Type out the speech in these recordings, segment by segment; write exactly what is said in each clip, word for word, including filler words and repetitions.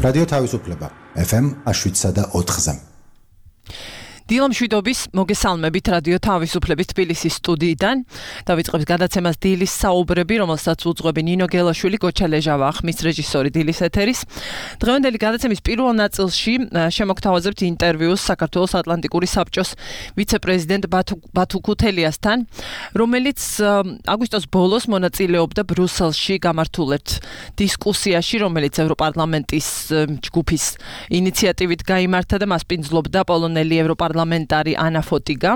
რადიო თავისუფლება ეფ ემ შვიდსა და ოთხზე. დილამ შვიდობის მოგესალმებით რადიო თავისუფლების თბილისის სტუდიიდან. დავიწყებთ გადაცემას დილის საუბრები, რომელსაც უძღვები ნინო გელაშვილი, გოჩა ლეჟავა, ხმის რეჟისორი დილის ეთერის. დღევანდელი გადაცემის პირველ ნაწილში შემოგთავაზებთ ინტერვიუს საქართველოს ატლანტიკური საბჭოს ვიცე-პრეზიდენტ ბათუ ქუთელიასთან, რომელიც აგვისტოს ბოლოს მონაწილეობდა ბრიუსელში გამართულ ერთ დისკუსიაში, რომელიც ევროპარლამენტის ჯგუფის ინიციატივით გაიმართა და მას პინძლობდა პოლონელი ევროპარლამენტარი პარლამენტარი ანა ფოტიგა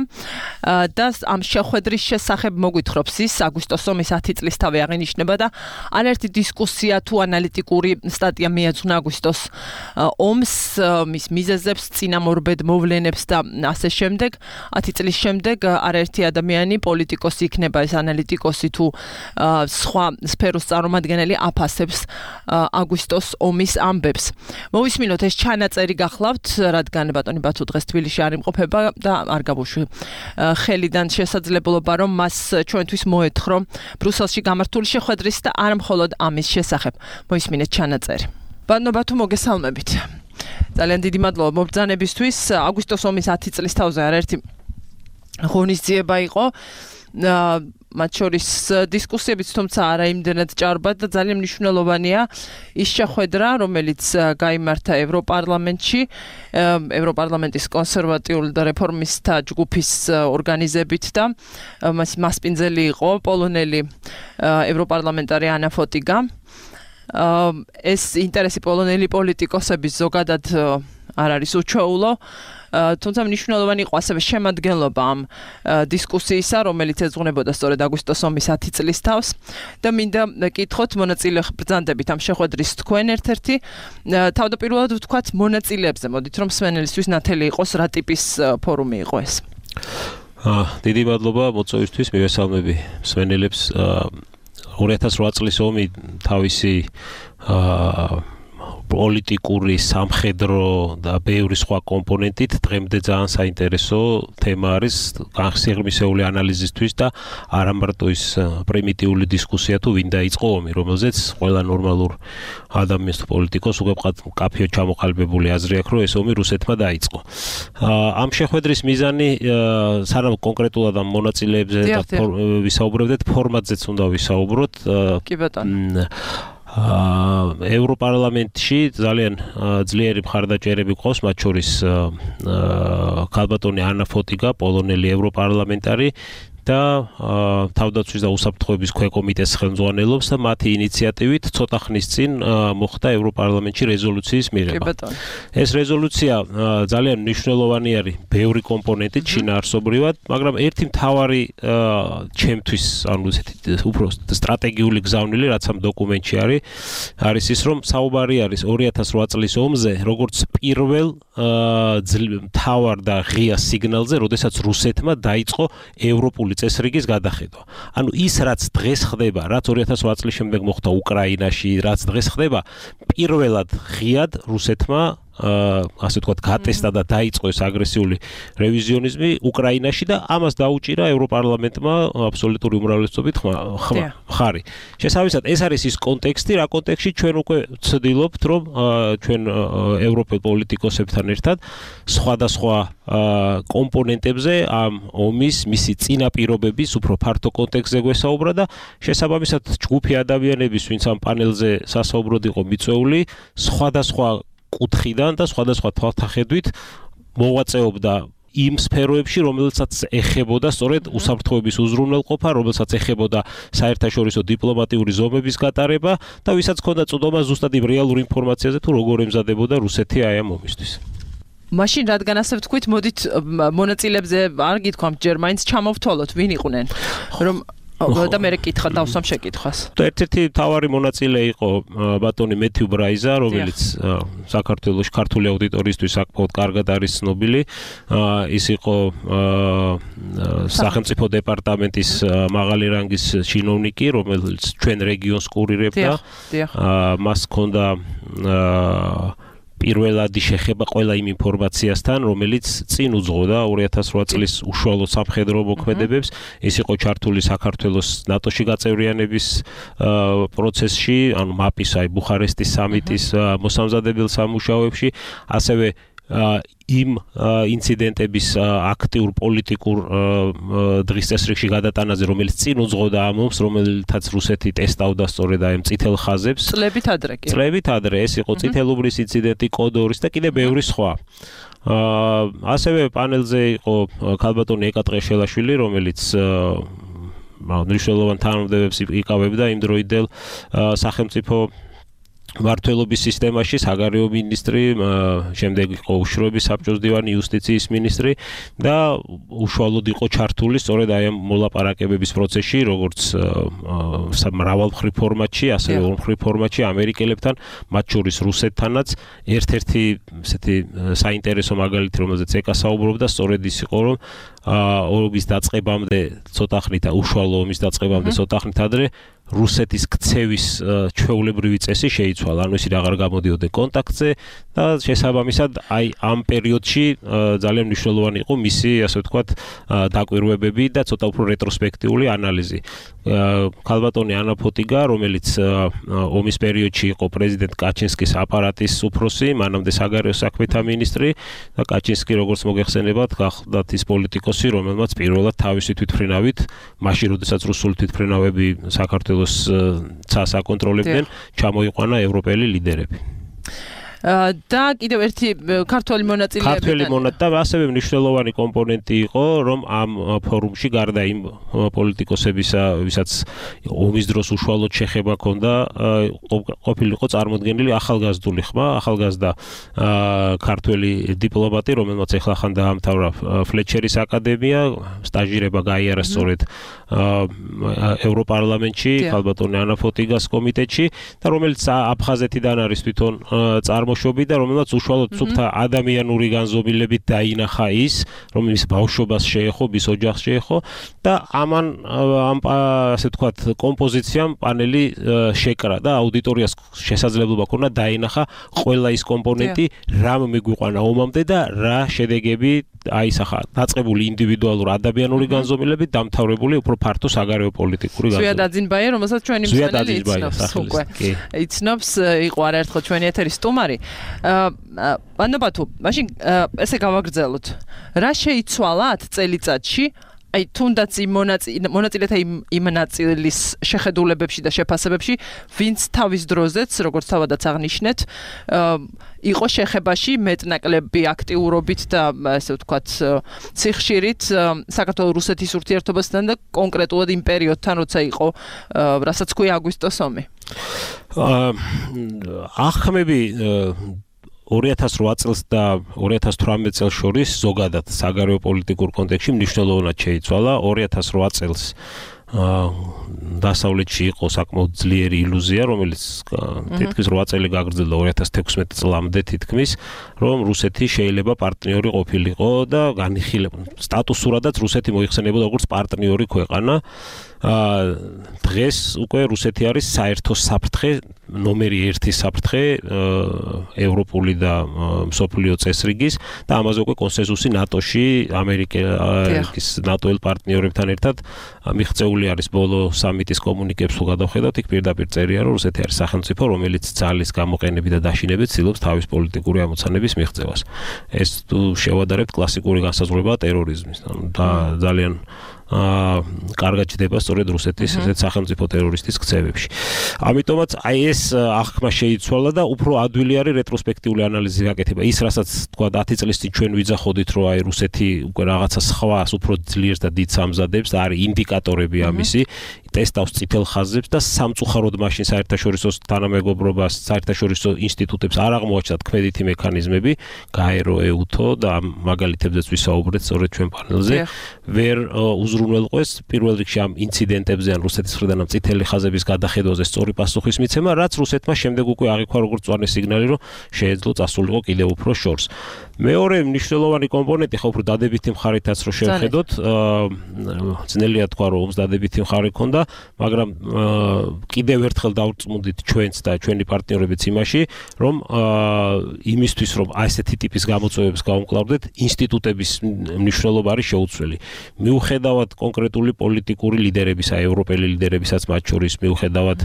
და ამ შეხვედრის შესახებ მოგვითხრობს ის აგვისტოს ომის ათი წლისთავე აღინიშნება და არაერთი დისკუსია თუ ანალიტიკური სტატია მიეძღვნა აგვისტოს ომს, მის მიზეზებს, წინამორბედ მოვლენებს და ასე შემდეგ. ათი წლის შემდეგ არაერთი ადამიანი, პოლიტიკოსი იქნება ეს ანალიტიკოსი თუ სხვა სფეროს წარმომადგენელი აფასებს აგვისტოს ომის ამბებს. მოვისმინოთ ეს ჩანაწერი გახლავთ, რადგან ბატონი ბათუ დღეს თბილისში არ იმყოფება და არ გაბუშვი ხელიდან შესაძლებლობა რომ მას ჩვენთვის მოეთხოვ ბრიუსელში გამართული შეხვედრის და არ მხოლოდ ამის შესახებ. მოისმინეთ ჩანაწერი. ბატონო ბათუ მოგესალმებით. ძალიან დიდი მადლობა მობრძანებისთვის. აგვისტოს ომის ათი წლის თავზე არაერთი ღონისძიება იყო. მათ შორის დისკუსიებიც თუმცა არა იმდენად ჭარბად და ძალიან მნიშვნელოვანია ის შეხვედრა, რომელიც გაიმართა ევროპარლამენტში, ევროპარლამენტის კონსერვატიული და რეფორმისტთა ჯგუფის ორგანიზებით და მასპინძელი იყო პოლონელი ევროპარლამენტარი ანა ფოტიგა. ეს ინტერესი პოლონელი პოლიტიკოსების ზოგადად არ არის უჩვეულო. თუმცა მნიშვნელოვანი იყო ასევე შემადგენლობა ამ დისკუსიისა, რომელიც ეძღვნებოდა სწორედ აგვისტოს ომის ათი წლის თავს და მინდა კითხოთ მონაწილე ბრძანდებით ამ შეხვედრის თქვენ ერთ-ერთი თავდაპირველად ვთქვათ მონაწილეებზე, მოდით რომ მსმენელისთვის ნათელი იყოს რა ტიპის ფორუმი იყო ეს. დიდი მადლობა მოწვევისთვის, მივესალმები მსმენელებს. ორი ათას რვა წლის ომი თავისი პოლიტიკური, სამხედრო და ბევრი სხვა კომპონენტით დღემდე ძალიან საინტერესო თემა არის განხსიღრმისეული ანალიზისთვის და არა მარტო ის პრიმიტიული დისკუსია თუ ვინ დაიწყო ომი, რომელზეც ყველა ნორმალურ ადამიანს თუ პოლიტიკოს უკვე კაფეო ჩამოყალიბებული აზრი აქვს, რომ ეს ომი რუსეთმა დაიწყო. ამ შეხვედრის მიზანი სანამ კონკრეტულად ამ მონაწილეებზე ვისაუბრებდეთ, ფორმატზეც უნდა ვისაუბროთ. კი ბატონო. ევროპარლამენტში ძალიან ძლიერი მხარდაჭერები ყავს, მათ შორის ქალბატონი ანა ფოტიგა, პოლონელი ევროპარლამენტარი და თავდაცვის და უსაფრთხოების ქვეკომიტეტს ხელმძღვანელობს და მათი ინიციატივით ცოტა ხნის წინ მოხდა ევროპარლამენტში რეზოლუციის მიღება. ეს რეზოლუცია ძალიან მნიშვნელოვანი არის ბევრი კომპონენტით შინაარსობრივად, მაგრამ ერთი მთავარი ჩემთვის, ანუ ესეთი უფრო სტრატეგიული გზავნილი, რაც ამ დოკუმენტში არის, არის ის, რომ საუბარი არის ორი ათას რვა წლის ომზე, როგორც პირველ მთავარ და ღია სიგნალზე, როდესაც რუსეთმა დაიწყო ევროპული წესრიგის გადახედვა. ანუ ის რაც დღეს ხდება, რაც ორი ათას რვა წლის შემდეგ მოხდა უკრაინაში, რაც დღეს ხდება, პირველად ღიად რუსეთმა ასე ვთქვათ, გატესტა და დაიწყო ეს აგრესიული რევიზიონიზმი უკრაინაში და ამას დაუჭირა ევროპარლამენტმა აბსოლუტური უმრავლესობით ხარი. შესაბამისად, ეს არის ის კონტექსტი, რა კონტექსტში ჩვენ უკვე ვცდილობთ, რომ ჩვენ ევროპელ პოლიტიკოსებთან ერთად სხვადასხვა კომპონენტებზე ამ ომის, მისი წინაპირობების უფრო ფართო კონტექსტზე გვესაუბრა და შესაბამისად ჯგუფი ადამიანების, ვინც ამ პანელზე სასაუბროდ იყო მიწვეული, სხვადასხვა კუთხიდან და სხვადასხვა თვალთახედვით მოვაწეობდა იმ სფეროებში, რომელსაც ეხებოდა სწორედ უსაფრთხოების უზრუნველყოფა, რომელსაც ეხებოდა საერთაშორისო დიპლომატიური ზომების გატარება და ვისაც ჰქონდა წვდომა ზუსტად იმ რეალურ ინფორმაციაზე თუ როგორ ემზადებოდა რუსეთი აი ამ ომისთვის. მაშინ რადგან ასე ვთქვით, მოდით მონაწილეებზე არ გითქვამთ ჯერ მაინც ჩამოვთვალოთ, ვინ იყვნენ, რომ და მე კითხა დავსვამ შეკითხვას. ერთ-ერთი მთავარი მონაწილე იყო ბატონი მეთიუ ბრაიზა, რომელიც საქართველოს ქართული აუდიტორიისთვის საკმაოდ კარგად არის ცნობილი. ის იყო სახელმწიფო დეპარტამენტის მაღალი რანგის ჩინოვნიკი, რომელიც ჩვენ რეგიონს კურირებდა. მას ჰქონდა პირველადი შეხება ყველა იმ ინფორმაციასთან, რომელიც წინ უძღვოდა ორი ათას რვა წლის უშუალო სამხედრო მოქმედებებს. ეს იყო ჩართული საქართველოს ნატოში გაწევრიანების პროცესში, ანუ მაპის, აი ბუხარესტის სამიტის მოსამზადებელ სამუშაოებში, ასევე იმ ინციდენტების აქტიურ პოლიტიკურ დღის წესრიგში გადატანაზე, რომელიც წინ უძღვოდა ამ ომს, რომელთაც რუსეთი ტესტავდა სწორედ აი წითელ ხაზებს. წლებით ადრე კი. წლებით ადრე ეს იყო წითელუბრის ინციდენტი, კოდორის და კიდე ბევრი სხვა. ასევე პანელზე იყო ქალბატონი ეკა ტყეშელაშვილი, რომელიც მნიშვნელოვან თანამდებობებს იკავებდა იმ დროიდელ სახელმწიფო მმართველობის სისტემაში, საგარეო მინისტრი, შემდეგ იყო უშუალოების საბჭოს დივანი, იუსტიციის მინისტრი და უშუალოდ იყო ჩართული სწორედ აი ამ მოლაპარაკებების პროცესში, როგორც მრავალმხრივ ფორმატში, ასევე ორმხრივ ფორმატში ამერიკელებთან, მათ შორის რუსეთთანაც. ერთ-ერთი ესეთი საინტერესო მაგალითი, რომელზეც ეკა საუბრობდა, სწორედ ის იყო, რომ ომის დაწყებამდე ცოტა ხნით, უშუალო ომის დაწყებამდე ცოტა ხნით ადრე რუსეთის ქცევის ჩვეულებრივი წესი შეიცვალა, ანუ ისინი აღარ გამოდიოდნენ კონტაქტზე და შესაბამისად აი ამ პერიოდში ძალიან მნიშვნელოვანი იყო მისი, ასე ვთქვათ, დაკვირვებები და ცოტა უფრო რეტროსპექტიული ანალიზი. ქალბატონი ანა ფოტიგა, რომელიც ომის პერიოდში იყო პრეზიდენტ კაჩინსკის აპარატის უფროსი, მანამდე საგარეო საქმეთა მინისტრი და კაჩინსკი, როგორც მოგეხსენებათ, გახლდათ ის პოლიტიკოსი, რომელმაც პირველად თავისი თვითმფრინავით, მაშინ როდესაც რუსული თვითმფრინავები საქართველოს ცას აკონტროლებდნენ, ჩამოიყვანა ევროპელი ლიდერები. და კიდევ ერთი ქართველი მონაწილეები ქართველი მონაწილე და ასევე მნიშვნელოვანი კომპონენტი იყო, რომ ამ ფორუმში გარდა იმ პოლიტიკოსებისა, ვისაც ომის დროს უშუალოდ შეხება ჰქონდა, ყოფილიყო წარმოდგენილი ახალგაზრდული ხმა, ახალგაზრდა ქართველი დიპლომატი, რომელმაც ეხლახან დაამთავრა ფლეჩერის აკადემია, სტაჟირება გაიარა სწორედ ევროპარლამენტში, ქალბატონი ანა ფოტიგას კომიტეტში და რომელიც აფხაზეთიდან არის თვითონ წარმოშობი და რომელმაც უშუალოდ სუფთა ადამიანური განზომილებით დაინახა ის, რომ ის ბავშვობას შეეხო, ის ოჯახს შეეხო და ამან ამ ასე ვთქვათ კომპოზიციამ პანელი შეკრა და აუდიტორიას შესაძლებლობა ჰქონდა დაინახა ყველა ის კომპონენტი, რამ მიგვიყვანა ომამდე და რა შედეგები აისახა დაწყებული ინდივიდუალურ ადამიანური განზომილებით, დამთავრებული უფრო ფართო საგარეო პოლიტიკური განზომილებით. ზვიად აძინბაია, რომელსაც ჩვენი მსმენელი იცნობს უკვე. იცნობს, იყო არაერთხელ ჩვენი ეთერის სტუმარი. ანუ ბათუ, მაშინ ესე გავაგრძელოთ. რა შეიცვალა ათ წელიწადში? აი თუნდაც იმ მონაწილეთა იმ ნაწილის შეხედულებებში და შეფასებებში, ვინც თავის დროზეც, როგორც თავადაც აღნიშნეთ, იყო შეხებაში მეტნაკლები აქტიურობით და ასე ვთქვათ, სიხშირით საქართველოს-რუსეთის ურთიერთობასთან და კონკრეტულად იმ პერიოდთან, როცა იყო, რასაც ქვია აგვისტოს ომი. ახმები ორი ათას რვა წელს და ორი ათას თვრამეტ წელს შორის ზოგადად საგარეო პოლიტიკურ კონტექსტში მნიშვნელოვნად შეიცვალა. ორი ათას რვა წელს დასავლეთში იყო საკმაოდ ძლიერი ილუზია, რომელიც თითქმის რვა წელი გაგრძელდა ორი ათას თექვსმეტ წლამდე თითქმის, რომ რუსეთი შეიძლება პარტნიორი ყოფილიყო და განიხილება. სტატუსურადაც რუსეთი მოიხსენებოდა როგორც პარტნიორი ქვეყანა. დღეს უკვე რუსეთი არის საერთო საფრთხე, ნომერი ერთი საფრთხე ევროპული და მსოფლიო წესრიგის და ამაზე უკვე კონსენსუსი ნატოში, ამერიკის ნატოელ პარტნიორებთან ერთად მიღწეული არის. ბოლო სამიტის კომუნიკებს თუ გადავხედავთ, იქ პირდაპირ წერია, რომ რუსეთი არის სახელმწიფო, რომელიც ძალის გამოყენებით და დაშინებით ცდილობს თავის პოლიტიკური ამოცანების მიღწევას. ეს თუ შევადარებთ კლასიკური განსაზღვრებაა ტერორიზმის და ძალიან აა კარგად ჩდება სწორედ რუსეთის ესეთ სახელმწიფო ტერორისტის ქცევებში. ამიტომაც აი ეს აღქმა შეიცვალა და უფრო ადვილი არის რეტროსპექტიული ანალიზი გაკეთება. ის რასაც თქვა ათი წლის წინ ჩვენ ვიძახოდით, რომ აი რუსეთი უკვე რაღაცა სხვას უფრო ძლიერს და დიდს ამზადებს და არის ინდიკატორები ამისი, ტესტავს წითელ ხაზებს და სამწუხაროდ მაშინ საერთაშორისო თანამეგობრობას, საერთაშორისო ინსტიტუტებს არ აღმოაჩნდათ ქმედითი მექანიზმები, გაერო, ეუთო და ამ მაგალითებზეც ვისაუბრეთ სწორედ ჩვენ პანელზე. ვერ უზრუნველყვეს პირველ რიგში ამ ინციდენტებზე ან რუსეთის მხრიდან ამ წითელი ხაზების გადახედვაზე სწორი პასუხის მიცემა, რაც რუსეთმა შემდეგ უკვე აღიქვა როგორც მწვანე სიგნალი, რომ შეეძლო წასულიყო კიდევ უფრო შორს. მეორე მნიშვნელოვანი კომპონენტი ხო უფრო დადებითი მხარითაც რო შევხედოთ, ძნელია თქვა, რომ ომს დადებითი მხარი ჰქონდა. მაგრამ კიდევ ერთხელ დავწმუნდით ჩვენც და ჩვენი პარტნიორებიც იმაში, რომ იმისთვის რომ აი ესეთი ტიპის გამოწვევებს გავუმკლავდეთ, ინსტიტუტების მნიშვნელობა არის შეუცვლელი. მიუხედავად კონკრეტული პოლიტიკური ლიდერებისა, ევროპელი ლიდერებისაც მათ შორის მიუხედავად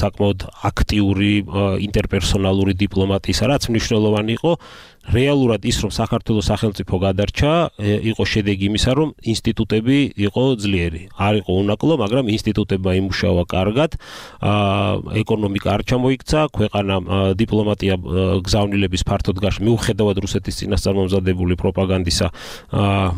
საკმაოდ აქტიური ინტერპერსონალური დიპლომატიისა, რაც მნიშვნელოვანი იყო, რეალურად ის რომ საქართველოს სახელმწიფო გადარჩა, იყო შედეგი იმისა, რომ ინსტიტუტები იყო ძლიერი. არ იყო უნაკლო, მაგრამ ინსტიტუტებმა იმუშავა კარგად, ეკონომიკა არ ჩამოიქცა, ქვეყანა დიპლომატია გზავნილების ფართოდ გაშ მიუხედავად რუსეთის წინასწარმომზადებული პროპაგანდისა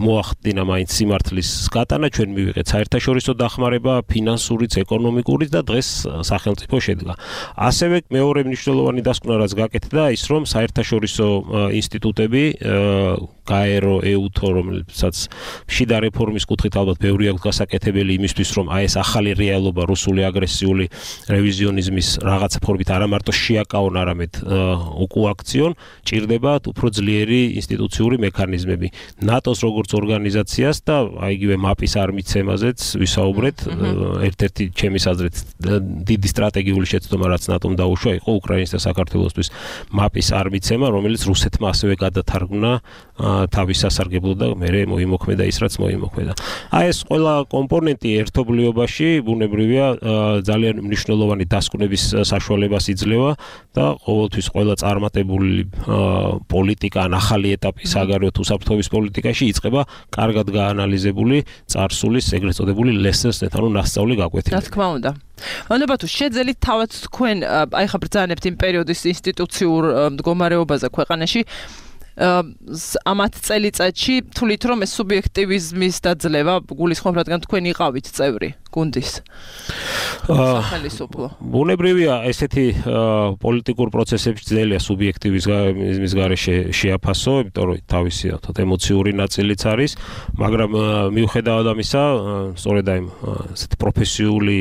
მოახდინა მაინც სიმართლის გატანა, ჩვენ მივიღეთ საერთაშორისო დახმარება, ფინანსურიც, ეკონომიკურიც და დღეს სახელმწიფო შედგა. ასევე მეორე მნიშვნელოვანი დასკვნა რაც გაკეთდა ის რომ საერთაშორისო ინსტიტუტები გაერო ეუთო რომელსაც შიდა რეფორმის კუთხით ალბათ ბევრი აქვს გასაკეთებელი იმისთვის რომ აი ეს ახალი რეალობა რუსული აგრესიული რევიზიონიზმის რაღაცა ფორმით არა მარტო შეაკავონ არამედ უკუაქციონ ჭირდება უფრო ძლიერი ინსტიტუციური მექანიზმები ნატოს როგორც ორგანიზაციას და აი იგივე მაპის არმიცემაზეც ვისაუბრეთ ერთ-ერთი ჩემი აზრით დიდი სტრატეგიული შეცდომა რაც ნატომ დაუშვა იყო უკრაინის და საქართველოსთვის მაპის არმიცემა რომელიც რუსეთმა ასევე გადათარგმნა თავის სასარგებლო და მე მოიმოქმედა ის რაც მოიმოქმედა. აი ეს ყველა კომპონენტი ერთობლიობაში ბუნებრივია ძალიან მნიშვნელოვანი დასკვნების საშუალებას იძლევა და ყოველთვის ყველა წარმატებული პოლიტიკა ან ახალი ეტაპი საგარეო თუ საფრთხების პოლიტიკაში იწყება კარგად გაანალიზებული წარსულის ეგრეთ წოდებული lessons-ით, ანუ ნასწავლი გაკვეთილებით. რა თქმა უნდა. მანობა თუ შეძელით თავად თქვენ აი ხა ბრძანებთ იმ პერიოდის ინსტიტუციურ მდგომარეობაზე ქვეყანაში ამათ წელიწადში თulit რომ ეს სუბიექტივიზმის დაძლევა გულისხმობ რადგან თქვენ იყავით წევრი გუნდის სახელმწიფო ბუნებრივია ესეთი პოლიტიკურ პროცესებში ძნელია სუბიექტივიზმის გარეშე შეაფასო, იმიტომ რომ თავისი თოთ ემოციური ნაწილიც არის, მაგრამ მიუხედავად ამისა, სწორედ აი ესეთი პროფესიული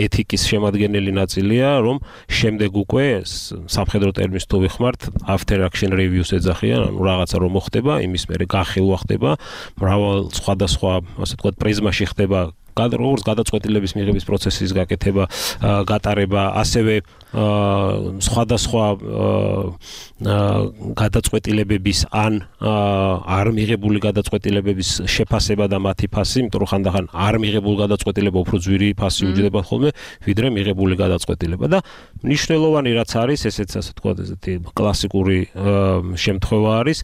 ეთიკის შემადგენელი ნაწილია, რომ შემდეგ უკვე სამხედრო ტერმინს თუ ვიხმართ, after action reviews ეძახიან, ანუ რაღაცა რომ მოხდება, იმის მერე განხილვა ხდება, მრავალ სხვადასხვა, ასე ვთქვათ, პრიზმაში ხდება როგორც გადაწყვეტილების მიღების პროცესის გაკეთება, გატარება, ასევე სხვადასხვა გადაწყვეტილებების ან არ მიღებული გადაწყვეტილებების შეფასება და მათი ფასი, იმიტომ რომ ხანდახან არ მიღებული გადაწყვეტილება უფრო ძვირი ფასი უჯდება ხოლმე, ვიდრე მიღებული გადაწყვეტილება და მნიშვნელოვანი რაც არის, ესეც ასე ვთქვათ, ესეთი კლასიკური შემთხვევა არის,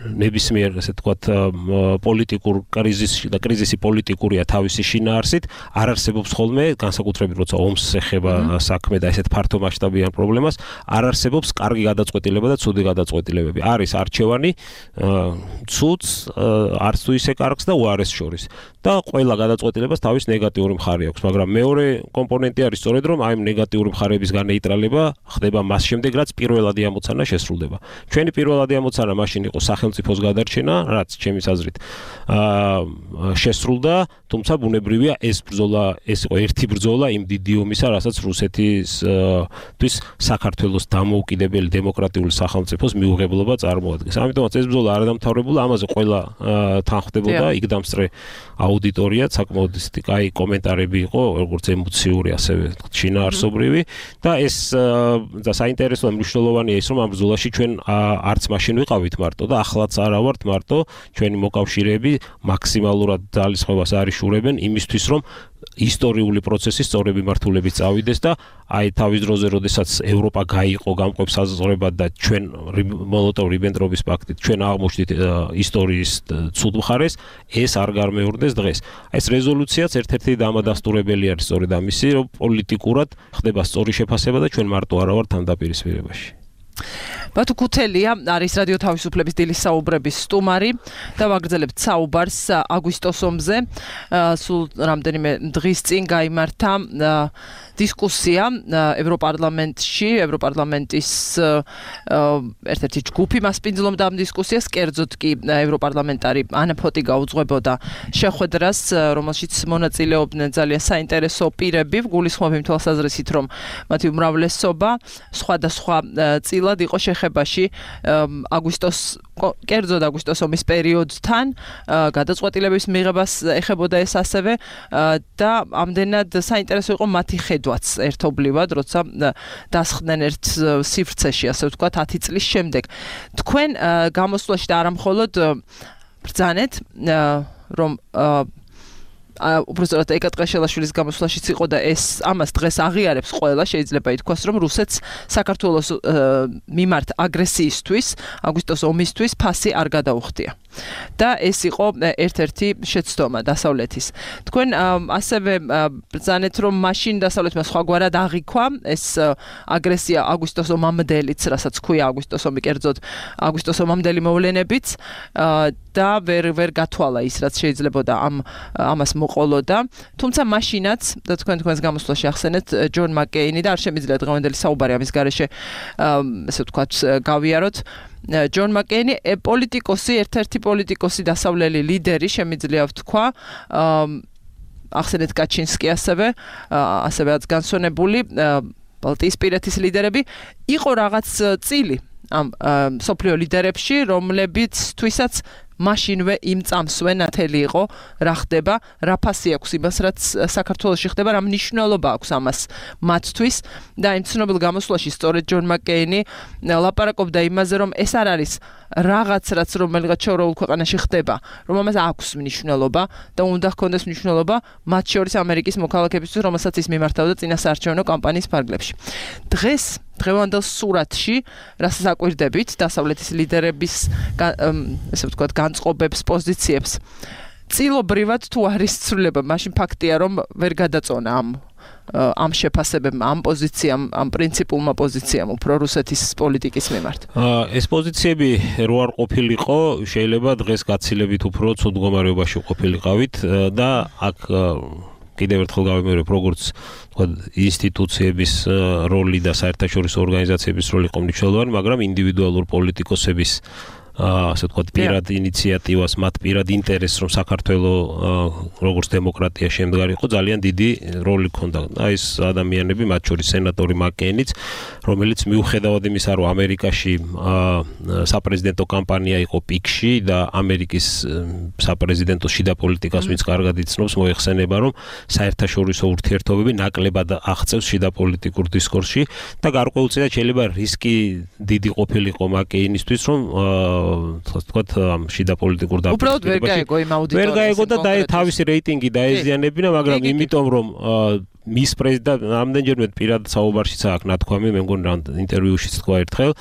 ნებისმიერ ასე ვთქვათ პოლიტიკურ კრიზისში და კრიზისი პოლიტიკურია თავისი შინაარსით, არ არსებობს ხოლმე განსაკუთრებით როცა ომს ეხება საქმე და ესეთ ფართო მასშტაბიან პრობლემას, არ არსებობს კარგი გადაწყვეტილება და ცუდი გადაწყვეტილებები. არის არჩევანი, ცუდს, არც თუ ისე კარგს და უარეს შორის. და ყველა გადაწყვეტილებას თავის ნეგატიური მხარე აქვს, მაგრამ მეორე კომპონენტი არის სწორედ რომ აი ნეგატიური მხარეებისგან ნეიტრალება ხდება მას შემდეგ, რაც პირველადი ამოცანა შესრულდება. ჩვენი პირველადი ამოცანა მაშინ იყო სახელმწიფოს გადარჩენა, რაც ჩემის აზრით შესრულდა, თუმცა ბუნებრივია ეს ბრძოლა, ეს იყო ერთი ბრძოლა იმ დიდი ომისა, რასაც რუსეთისთვის საქართველოს დამოუკიდებელი დემოკრატიული სახელმწიფოს მიუღებლობა წარმოადგენს. ამიტომაც ეს ბრძოლა არ დამთავრებულა, ამაზე ყველა თანხმდებოდა, იქ დამსწრე აუდიტორია, საკმაოდ ისეთი კაი კომენტარები იყო, როგორც ემოციური, ასევე შინაარსობრივი და ეს და საინტერესო და მნიშვნელოვანია ის, რომ ამ ბრძოლაში ჩვენ არც მაშინ ვიყავით მარტო და ახლაც არა ვართ მარტო, ჩვენი მოკავშირეები მაქსიმალურად ძალისხმევას არიშურებენ იმისთვის, რომ ისტორიული პროცესი სწორები მართულებით წავიდეს და აი თავის დროზე, როდესაც ევროპა გაიყო გამყოფ საზღვრებად და ჩვენ მოლოტოვ-რიბენტროპის პაქტით ჩვენ აღმოჩნდით ისტორიის ცუდ მხარეს, ეს არ გამეორდეს დღეს. ეს რეზოლუციაც ერთ-ერთი დამადასტურებელი არის სწორედ ამისი, რომ პოლიტიკურად ხდება სწორი შეფასება და ჩვენ მარტო არა ვართ ამ დაპირისპირებაში. ბათუ ქუთელია არის რადიო თავისუფლების დილის საუბრების სტუმარი და ვაგრძელებთ საუბარს აგვისტოს ომზე. სულ რამდენიმე დღის წინ გაიმართა დისკუსია ევროპარლამენტში, ევროპარლამენტის ერთ-ერთი ჯგუფი მასპინძლობდა ამ დისკუსიას, კერძოდ კი ევროპარლამენტარი ანა ფოტიგა უძღვებოდა შეხვედრას, რომელშიც მონაწილეობდნენ ძალიან საინტერესო პირები, გულისხმობ იმ თვალსაზრისით, რომ მათი უმრავლესობა სხვადასხვა წილად იყო შეხებაში აგვისტოს კერძოდ აგვისტოს ომის პერიოდთან გადაწყვეტილების მიღებას ეხებოდა ეს ასევე და ამდენად საინტერესო იყო მათი ხედვაც ერთობლივად, როცა დასხდნენ ერთ სივრცეში, ასე ვთქვათ, ათი წლის შემდეგ. თქვენ გამოსვლაში და არა მხოლოდ ბრძანეთ, რომ უბრალოდ ეკა ტყეშელაშვილის გამოსვლაშიც იყო და ეს ამას დღეს აღიარებს ყველა, შეიძლება ითქვას, რომ რუსეთს საქართველოს მიმართ აგრესიისთვის, აგვისტოს ომისთვის ფასი არ გადაუხდია. და ეს იყო ერთ-ერთი შეცდომა დასავლეთის. თქვენ ასევე ბრძანეთ, რომ მაშინ დასავლეთმა სხვაგვარად აღიქვა ეს აგრესია აგვისტოს ომამდელიც, რასაც ქვია აგვისტოს ომი, კერძოდ აგვისტოს ომამდელი მოვლენებიც და ვერ ვერ გათვალა ის, რაც შეიძლებოდა ამ ამას მოყოლოდა. თუმცა მაშინაც და თქვენ თქვენს გამოსვლაში ახსენეთ ჯონ მაკეინი და არ შემიძლია დღევანდელი საუბარი ამის გარეშე ესე ვთქვათ გავიაროთ. ჯონ მაკეინი პოლიტიკოსი, ერთ-ერთი პოლიტიკოსი, დასავლელი ლიდერი, შემიძლია ვთქვა, ახსენეთ კაჩინსკი ასევე, ასევეაც განსვენებული ბალტიისპირეთის ლიდერები, იყო რაღაც წილი ამ სოფლიო ლიდერებში, რომლებიცთვისაც მაშინვე იმ წამსვე ნათელი იყო რა ხდება, რა ფასი აქვს იმას, რაც საქართველოში ხდება, რა მნიშვნელობა აქვს ამას მათთვის და იმ ცნობილ გამოსვლაში სწორედ ჯონ მაკეინი ლაპარაკობდა იმაზე, რომ ეს არ არის რაღაც, რაც რომელიღაც შორეულ ქვეყანაში ხდება, რომ ამას აქვს მნიშვნელობა და უნდა ჰქონდეს მნიშვნელობა მათ შორის ამერიკის მოქალაქეებისთვის, რომელსაც ის მიმართავდა წინასაარჩევნო კამპანიის ფარგლებში. დღეს დღევანდელ სურათში, რასაც აკვირდებით, დასავლეთის ლიდერების ესე ვთქვათ განწყობებს, პოზიციებს, წილობრივად თუ არის ცვლილება, მაშინ ფაქტია, რომ ვერ გადაწონა ამ ამ შეფასებებმა, ამ პოზიციამ, ამ პრინციპულმა პოზიციამ უფრო რუსეთის პოლიტიკის მიმართ. ეს პოზიციები რო არ ყოფილიყო, შეიძლება დღეს გაცილებით უფრო ცუდ მდგომარეობაში ყოფილიყავით და აქ კიდევ ერთხელ გავიმეორებ, როგორც თქვა ინსტიტუციების როლი და საერთაშორისო ორგანიზაციების როლი იყო მნიშვნელოვანი, მაგრამ ინდივიდუალურ პოლიტიკოსების ასე ვთქვათ, პირად ინიციატივას, მათ პირად ინტერესს, რომ საქართველო როგორც დემოკრატია შემდგარიყო, ძალიან დიდი როლი ჰქონდა. აი ეს ადამიანები, მათ შორის სენატორი მაკეინიც, რომელიც მიუხედავად იმისა, რომ ამერიკაში საპრეზიდენტო კამპანია იყო პიკში და ამერიკის საპრეზიდენტო შიდა პოლიტიკას ვინც კარგად იცნობს, მოიხსენება, რომ საერთაშორისო ურთიერთობები ნაკლებად აღწევს შიდა პოლიტიკურ დისკურსში და გარკვეულწილად შეიძლება რისკი დიდი ყოფილიყო მაკეინისთვის, რომ თქვათ ამ შიდა პოლიტიკურ დაპირისპირებაში უბრალოდ ვერ გაეგო იმ აუდიტორიის ვერ გაეგო და თავისი რეიტინგი დაეზიანებინა, მაგრამ იმიტომ რომ მის პრეზიდენტ ამდენჯერმე პირად საუბარშიც აქვს ნათქვამი, მე მგონი რა ინტერვიუშიც თქვა ერთხელ,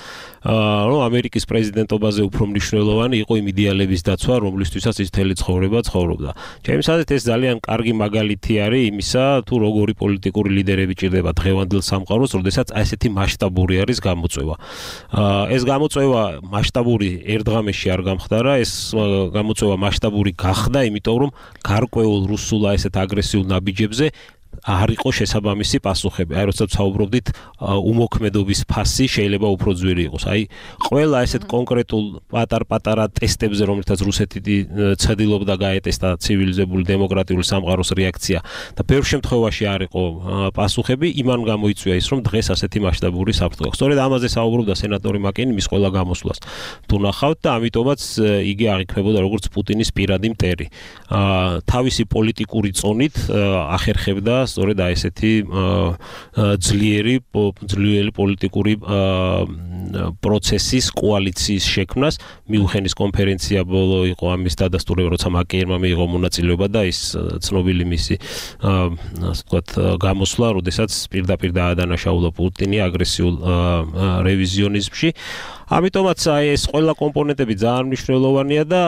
რომ ამერიკის პრეზიდენტობაზე უფრო მნიშვნელოვანი იყო იმ იდეალების დაცვა, რომლისთვისაც ის მთელი ცხოვრება ცხოვრობდა. ჩემს აზრით ეს ძალიან კარგი მაგალითი არის იმისა, თუ როგორი პოლიტიკური ლიდერები ჭირდება დღევანდელ სამყაროს, როდესაც ასეთი მასშტაბური არის გამოწვევა. ეს გამოწვევა მასშტაბური ერთ დღამში არ გამხდარა, ეს გამოწვევა მასშტაბური გახდა, იმიტომ რომ გარკვეულ რუსულ ასეთ აგრესიულ ნაბიჯებზე არ იყო შესაბამისი პასუხები. აი როცა ვსაუბრობდით, უმოქმედობის ფასი შეიძლება უფრო ძვირი იყოს. აი ყველა ესეთ კონკრეტულ პატარ-პატარა ტესტებზე, რომლითაც რუსეთი ცდილობდა გაეტესტა ცივილიზებული დემოკრატიული სამყაროს რეაქცია და ბევრ შემთხვევაში არ იყო პასუხები, იმან გამოიწვია ის, რომ დღეს ასეთი მასშტაბური საფრთხე აქვს. სწორედ ამაზე საუბრობდა სენატორი მაკეინი მის ყველა გამოსვლას. თუ ნახავთ და ამიტომაც იგი აღიქმებოდა როგორც პუტინის პირადი მტერი. თავისი პოლიტიკური წონით ახერხებდა სწორედ აი ესეთი ძლიერი ძლიერი პოლიტიკური პროცესის კოალიციის შექმნას. მიუნხენის კონფერენცია ბოლო იყო ამის დადასტურება, როცა მაკეინმა მიიღო მონაწილეობა და ის ცნობილი მისი ასე ვთქვათ გამოსვლა, როდესაც პირდაპირ დაადანაშაულა პუტინი აგრესიულ რევიზიონიზმში. ამიტომაც აი ეს ყველა კომპონენტები ძალიან მნიშვნელოვანია და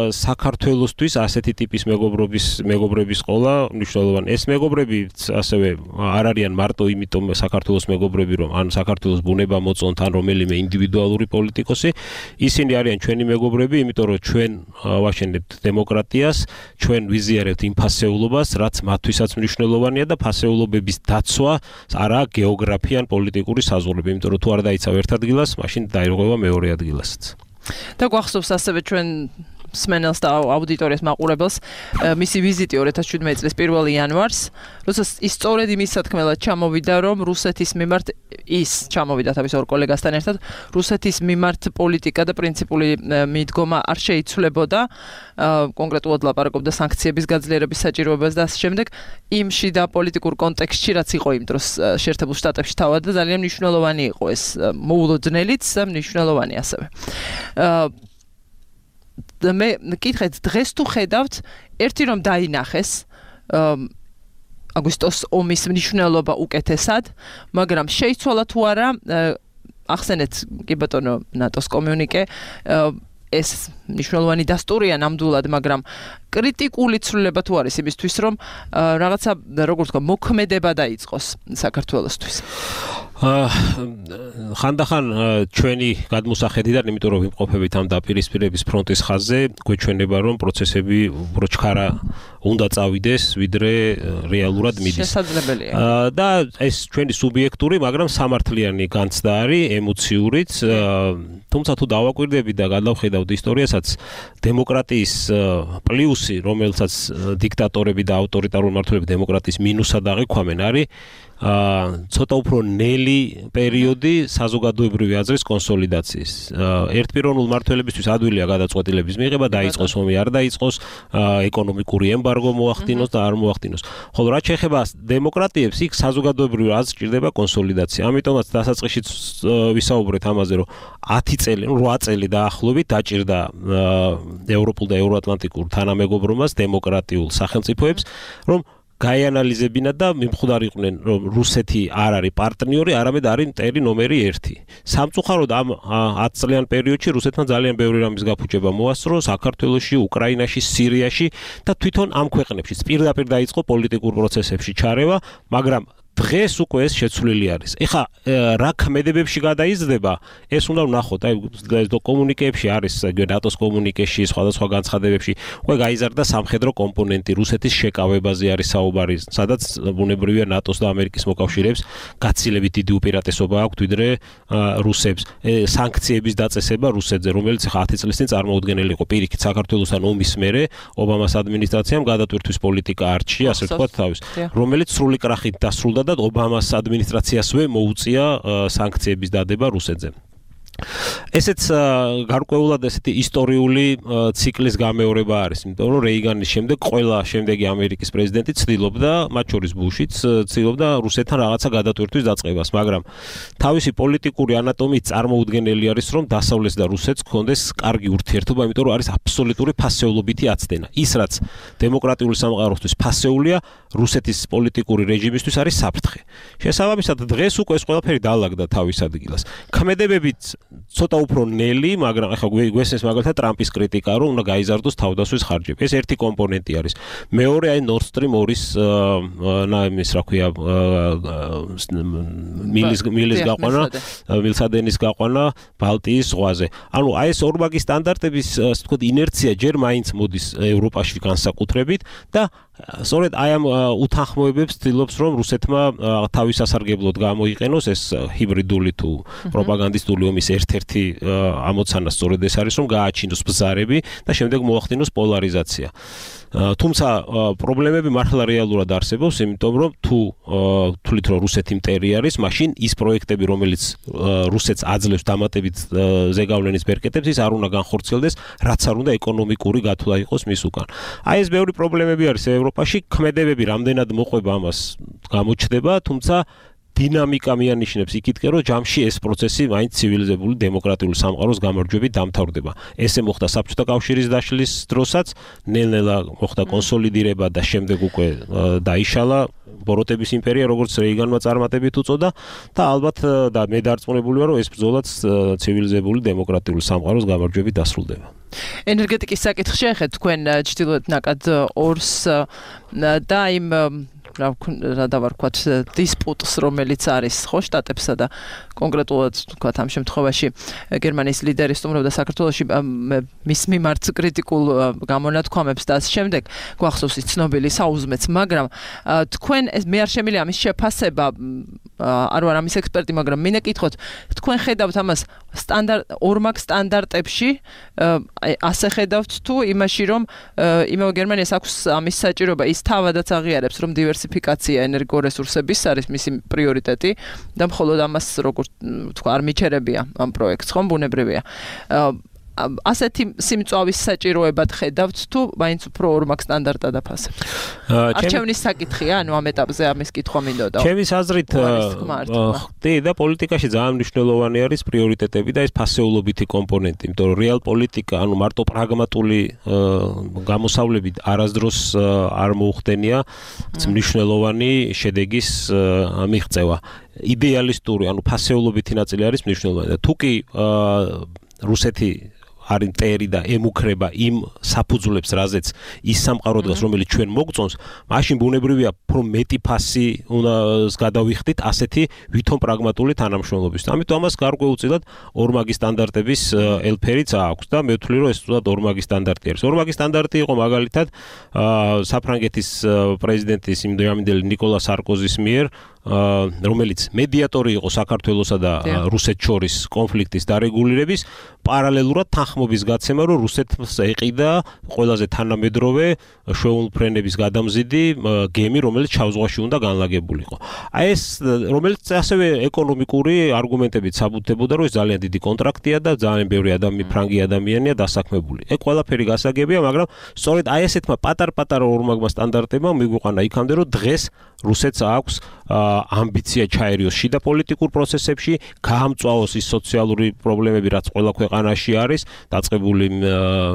საქართველოსთვის ასეთი ტიპის მეგობრობის მეგობრების ყოლა მნიშვნელოვანი. ეს მეგობრები ასევე არ არიან მარტო იმიტომ საქართველოს მეგობრები, რომ ან საქართველოს ბუნება მოწონთ, ან რომელიმე ინდივიდუალური პოლიტიკოსი, ისინი არიან ჩვენი მეგობრები, იმიტომ რომ ჩვენ ვაშენებთ დემოკრატიას, ჩვენ ვიზიარებთ იმ ფასეულობას, რაც მათთვისაც მნიშვნელოვანია და ფასეულობების დაცვა არა გეოგრაფია ან პოლიტიკური საზღვრები, იმიტომ რომ თუ არ დაიცავ ერთ ადგილას, მაშინ დაირღვევა მეორე ადგილასაც. და გვახსოვს ასევე ჩვენ სმენელს და აუდიტორიას მაყურებელს მისი ვიზიტი ორი ათას შვიდმეტი წლის პირველი იანვარს, როდესაც ის სწორედ იმის სათქმელად ჩამოვიდა, რომ რუსეთის მიმართ ის ჩამოვიდა თავის ორ კოლეგასთან ერთად, რუსეთის მიმართ პოლიტიკა და პრინციპული მიდგომა არ შეიცვლებოდა, კონკრეტულად ლაპარაკობდა სანქციების გაძლიერების საჭიროებას და ასე შემდეგ, იმ შიდა პოლიტიკურ კონტექსტში, რაც იყო იმ დროს შეერთებულ შტატებში თავად და ძალიან მნიშვნელოვანი იყო ეს მოულოდნელიც და მნიშვნელოვანი ასევე. მე მკითხეთ, დღეს თუ ხედავთ, ერთი რომ დაინახეს აგვისტოს ომის მნიშვნელობა უკეთესად, მაგრამ შეიცვალა თუ არა, ახსენეთ კი ბატონო ნატოს კომიუნიკე, ეს მნიშვნელოვანი დასტურია ნამდვილად, მაგრამ კრიტიკული ცვლილება თუ არის იმისთვის, რომ რაღაცა, როგორ ვთქვა, მოქმედება დაიწყოს საქართველოსთვის. ხანდახან ჩვენი გადმოსახედიდან, იმიტომ რომ ვიმყოფებით ამ დაპირისპირების ფრონტის ხაზზე, გვეჩვენება რომ პროცესები უფრო ჩქარა უნდა წავიდეს, ვიდრე რეალურად მიდის. შესაძლებელია. და ეს ჩვენი სუბიექტური, მაგრამ სამართლიანი განცდა არის, ემოციურიც, თუმცა თუ დავაკვირდებით და გადავხედავთ ისტორიასაც, დემოკრატიის პლუსი, რომელსაც დიქტატორები და ავტორიტარული მმართველები დემოკრატიის მინუსად აღიქვამენ, არის ცოტა უფრო ნელი პერიოდი საზოგადოებრივი აზრის კონსოლიდაციის. ერთპიროვნულ მმართველებისთვის ადვილია გადაწყვეტილების მიღება, დაიწყოს ომი, არ დაიწყოს, ეკონომიკური ემბარგო მოახდინოს და არ მოახდინოს. ხოლო რაც შეეხება დემოკრატიებს, იქ საზოგადოებრივი აზრს ჭირდება კონსოლიდაცია. ამიტომაც დასაწყისშიც ვისაუბრეთ ამაზე, რომ ათი წელი, რვა წელი დაახლოებით დაჭირდა ევროპულ და ევროატლანტიკურ თანამეგობრობას, დემოკრატიულ სახელმწიფოებს, რომ გაიანალიზებინათ და მიმხვდარიყვნენ, რომ რუსეთი არ არის პარტნიორი, არამედ არის მტერი ნომერი ერთი. სამწუხაროდ ამ ათი წლიან პერიოდში რუსეთმა ძალიან ბევრი რამის გაფუჭება მოასწრო, საქართველოში, უკრაინაში, სირიაში და თვითონ ამ ქვეყნებში პირდაპირ დაიწყო პოლიტიკურ პროცესებში ჩარევა, მაგრამ დღეს უკვე ეს შეცვლილი არის. ეხლა რა ქმედებებში გადაიზრდება, ეს უნდა ვნახოთ. აი კომუნიკეებში არის, ნატოს კომუნიკეში, სხვადასხვა განცხადებებში, უკვე გაიზარდა სამხედრო კომპონენტი, რუსეთის შეკავებაზე არის საუბარი, სადაც ბუნებრივია ნატოს და ამერიკის მოკავშირეებს გაცილებით დიდი უპირატესობა აქვთ, ვიდრე რუსებს. სანქციების დაწესება რუსეთზე, რომელიც ეხლა ათი წლის წინ წარმოუდგენელი იყო პირიქით საქართველოსთან ომის მერე, ობამას ადმინისტრაციამ გადატვირთვის პოლიტიკა არჩია, ასე ვთქვათ თავის, რომელიც სრული კრახით დასრულდა და ობამას ადმინისტრაციასვე მოუწია სანქციების დადება რუსეთზე. ესეც გარკვეულად ესეთი ისტორიული ციკლის გამეორება არის, იმიტომ რომ რეიგანის შემდეგ ყველა შემდეგი ამერიკის პრეზიდენტი ცდილობდა, მათ შორის ბუშიც, ცდილობდა რუსეთთან რაღაცა გადატვირთვის დაწყებას, მაგრამ თავისი პოლიტიკური ანატომიით წარმოუდგენელი არის, რომ დასავლეთს და რუსეთს ჰქონდეს კარგი ურთიერთობა, იმიტომ რომ არის აბსოლუტური ფასეულობითი აცდენა. ის რაც დემოკრატიული სამყაროსთვის ფასეულია, რუსეთის პოლიტიკური რეჟიმისთვის არის საფრთხე. შესაბამისად, დღეს უკვე ეს ყველაფერი დაალაგდა თავის ადგილას. ქმედებებით ცოტა უფრო ნელი, მაგრამ ახლა გვესმის მაგალითად ტრამპის კრიტიკა, რომ უნდა გაიზარდოს თავდასხმის ხარჯები. ეს ერთი კომპონენტი არის. მეორე აი Nord Stream ორის ნაიმის რა ქვია მილის მილის გაყვანა, მილსადენის გაყვანა ბალტიის ზღვაზე. ანუ აი ეს ორმაგი სტანდარტების, ასე ვთქვათ, ინერცია ჯერ მაინც მოდის ევროპაში განსაკუთრებით და სწორედ აი ამ უთანხმოებებს ცდილობს, რომ რუსეთმა თავის სასარგებლოდ გამოიყენოს ეს ჰიბრიდული თუ პროპაგანდისტული ომის ერთ-ერთი ამოცანა სწორედ ეს არის, რომ გააჩინოს ბზარები და შემდეგ მოახდინოს პოლარიზაცია. თუმცა პრობლემები მართლა რეალურად არსებობს, იმიტომ რომ თუ თვლით რომ რუსეთი მტერი არის, მაშინ ის პროექტები, რომელიც რუსეთს აძლევს დამატებით ზეგავლენის ბერკეტებს, ის არ უნდა განხორციელდეს, რაც არ უნდა ეკონომიკური გათვლა იყოს მის უკან. აი ეს ბევრი პრობლემები არის ევროპაში, ქმედებები რამდენად მოყვება ამას გამოჩნდება, თუმცა დინამიკა მიანიშნებს იქითკენ, რომ ჯამში ეს პროცესი მაინც ცივილიზებული დემოკრატიული სამყაროს გამარჯვებით დამთავრდება. ესე მოხდა საბჭოთა კავშირის დაშლის დროსაც, ნელ-ნელა მოხდა კონსოლიდირება და შემდეგ უკვე დაიშალა ბოროტების იმპერია, როგორც რეიგანმა წარმატებით უწოდა და ალბათ და მე დარწმუნებული ვარ, რომ ეს ბრძოლაც ცივილიზებული დემოკრატიული სამყაროს გამარჯვებით დასრულდება. ენერგეტიკის საკითხი შეეხეთ თქვენ ჩრდილოეთ ნაკად ორს და იმ რა დავარქვათ დისპუტს, რომელიც არის ხო შტატებსა და კონკრეტულად თქვათ ამ შემთხვევაში გერმანიის ლიდერი სტუმრობდა საქართველოში მის მიმართ კრიტიკულ გამონათქვამებს და ასე შემდეგ, გვახსოვს ის ცნობილი საუზმეც, მაგრამ თქვენ მე არ შემიძლია ამის შეფასება, არ ვარ ამის ექსპერტი, მაგრამ მინდა კითხოთ, თქვენ ხედავთ ამას სტანდარტ ორმაგ სტანდარტებში, ასე ხედავთ თუ იმაში, რომ იმავე გერმანიას აქვს ამის საჭიროება, ის თავადაც აღიარებს, რომ დივერსიფიკაცია ენერგორესურსების არის მისი პრიორიტეტი და მხოლოდ ამას როგორ თქვა არ მიჩერებია ამ პროექტს, ხომ ბუნებრივია. ასეთი სიმწვავის საჭიროებად ხედავთ თუ მაინც უფრო ორმაგ სტანდარტად აფასებთ? არჩევნის საკითხია, ანუ ამ ეტაპზე ამის კითხვა მინდოდა. ჩემის აზრით, ხდი და პოლიტიკაში ძალიან მნიშვნელოვანი არის პრიორიტეტები და ეს ფასეულობითი კომპონენტი, იმიტომ რომ რეალ პოლიტიკა, ანუ მარტო პრაგმატული გამოსავლებით არასდროს არ მოუხდენია მნიშვნელოვანი შედეგის მიღწევა. იდეალისტური, ანუ ფასეულობითი ნაწილი არის მნიშვნელოვანი და თუ კი რუსეთი არ ინტერი და ემუქრება იმ საფუძვლებს, რაზეც ის სამყარო დგას, რომელიც ჩვენ მოგწონს, მაშინ ბუნებრივია, რომ მეტი ფასი უნდა გადავიხდით ასეთი ვითომ პრაგმატული თანამშრომლობის. ამიტომ ამას გარკვეულწილად ორმაგი სტანდარტების ელფერიც აქვს და მე ვთვლი, რომ ეს თუნდაც ორმაგი სტანდარტი არის. ორმაგი სტანდარტი იყო მაგალითად საფრანგეთის პრეზიდენტის იმდროინდელი ნიკოლა სარკოზის მიერ, რომელიც მედიატორი იყო საქართველოსა და რუსეთს შორის კონფლიქტის დარეგულირების, პარალელურად თანხმობის გაცემა, რომ რუსეთს ეყიდა ყველაზე თანამედროვე შვეულფრენების გადამზიდი გემი, რომელიც ჩავზღვაში უნდა განლაგებულიყო. აი ეს, რომელიც ასევე ეკონომიკური არგუმენტებით საბუთებოდა, რომ ეს ძალიან დიდი კონტრაქტია და ძალიან ბევრი ადამიანი, ფრანგი ადამიანია დასაქმებული. ეგ ყველაფერი გასაგებია, მაგრამ სწორედ აი ესეთმა პატარ-პატარა ორმაგმა სტანდარტებმა მიგვიყვანა იქამდე, რომ დღეს რუსეთს აქვს ამბიცია ჩაერიოს შიდა პოლიტიკურ პროცესებში, გაამწვავოს ის სოციალური პრობლემები, რაც ყველა ქვეყანაში არის, დაწყებული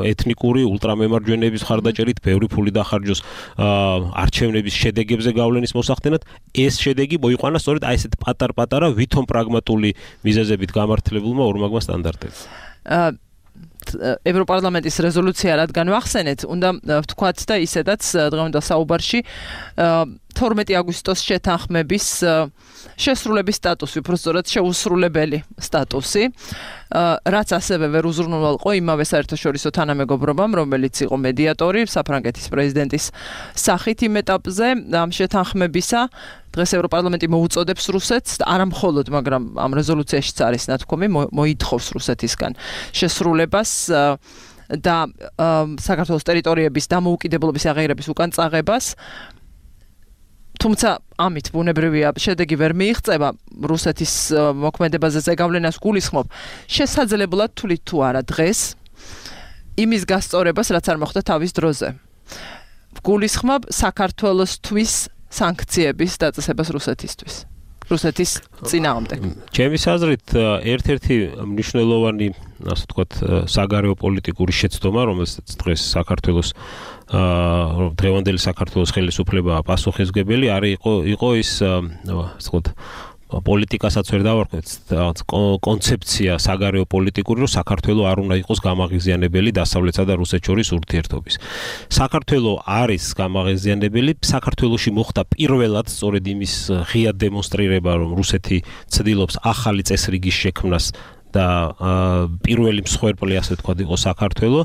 ეთნიკური ულტრამემარჯვენეების ხარდაჭერით, ბევრი ფული დახარჯოს არჩევნების შედეგებზე გავლენის მოსახდენად, ეს შედეგი მოიყვანა სწორედ აი ესეთ პატარ-პატარა ვითომ პრაგმატული მიზეზებით გამართლებულმა ორმაგმა სტანდარტებმა. ევროპარლამენტის რეზოლუცია რადგან ვახსენეთ, უნდა ვთქვათ და ისედაც დღევანდელ საუბარში თორმეტი აგვისტოს შეთანხმების შესრულების სტატუსი, უფრო სწორად შეუსრულებელი სტატუსი, რაც ასევე ვერ უზრუნველყო იმავე საერთაშორისო თანამეგობრობამ, რომელიც იყო მედიატორი საფრანგეთის პრეზიდენტის სახით იმ ეტაპზე ამ შეთანხმებისა. დღეს ევროპარლამენტი მოუწოდებს რუსეთს, არა მხოლოდ, მაგრამ ამ რეზოლუციაშიც არის ნათქვამი, მოითხოვს რუსეთისგან შესრულებას და საქართველოს ტერიტორიების დამოუკიდებლობის აღიარების უკან წაღებას. თუმცა ამით ბუნებრივია შედეგი ვერ მიიღწევა რუსეთის მოქმედებაზე ზეგავლენას გულისხმობ. შესაძლებლად თulit თუ არა დღეს იმის გასწორებას, რაც არ მოხდა თავის დროზე. გულისხმობ საქართველოსთვის სანქციების დაწესებას რუსეთისთვის. რუსეთის წინააღმდეგ. ჩემის აზრით, ერთ-ერთი მნიშვნელოვანი, ასე ვთქვათ, საგარეო პოლიტიკური შეცდომა, რომელსაც დღეს საქართველოს დღევანდელი საქართველოს ხელისუფლება პასუხისმგებელი არის იყო იყო ის, ასე ვთქვათ, პოლიტიკასაც ვერ დავარქვეთ, კონცეფცია საგარეო პოლიტიკური, რომ საქართველო არ უნდა იყოს გამაღიზიანებელი დასავლეთსა და რუსეთს შორის ურთიერთობის. საქართველო არის გამაღიზიანებელი, საქართველოში მოხდა პირველად სწორედ იმის ღია დემონსტრირება, რომ რუსეთი ცდილობს ახალი წესრიგის შექმნას და პირველი მსხვერპლი, ასე ვთქვათ, იყო საქართველო.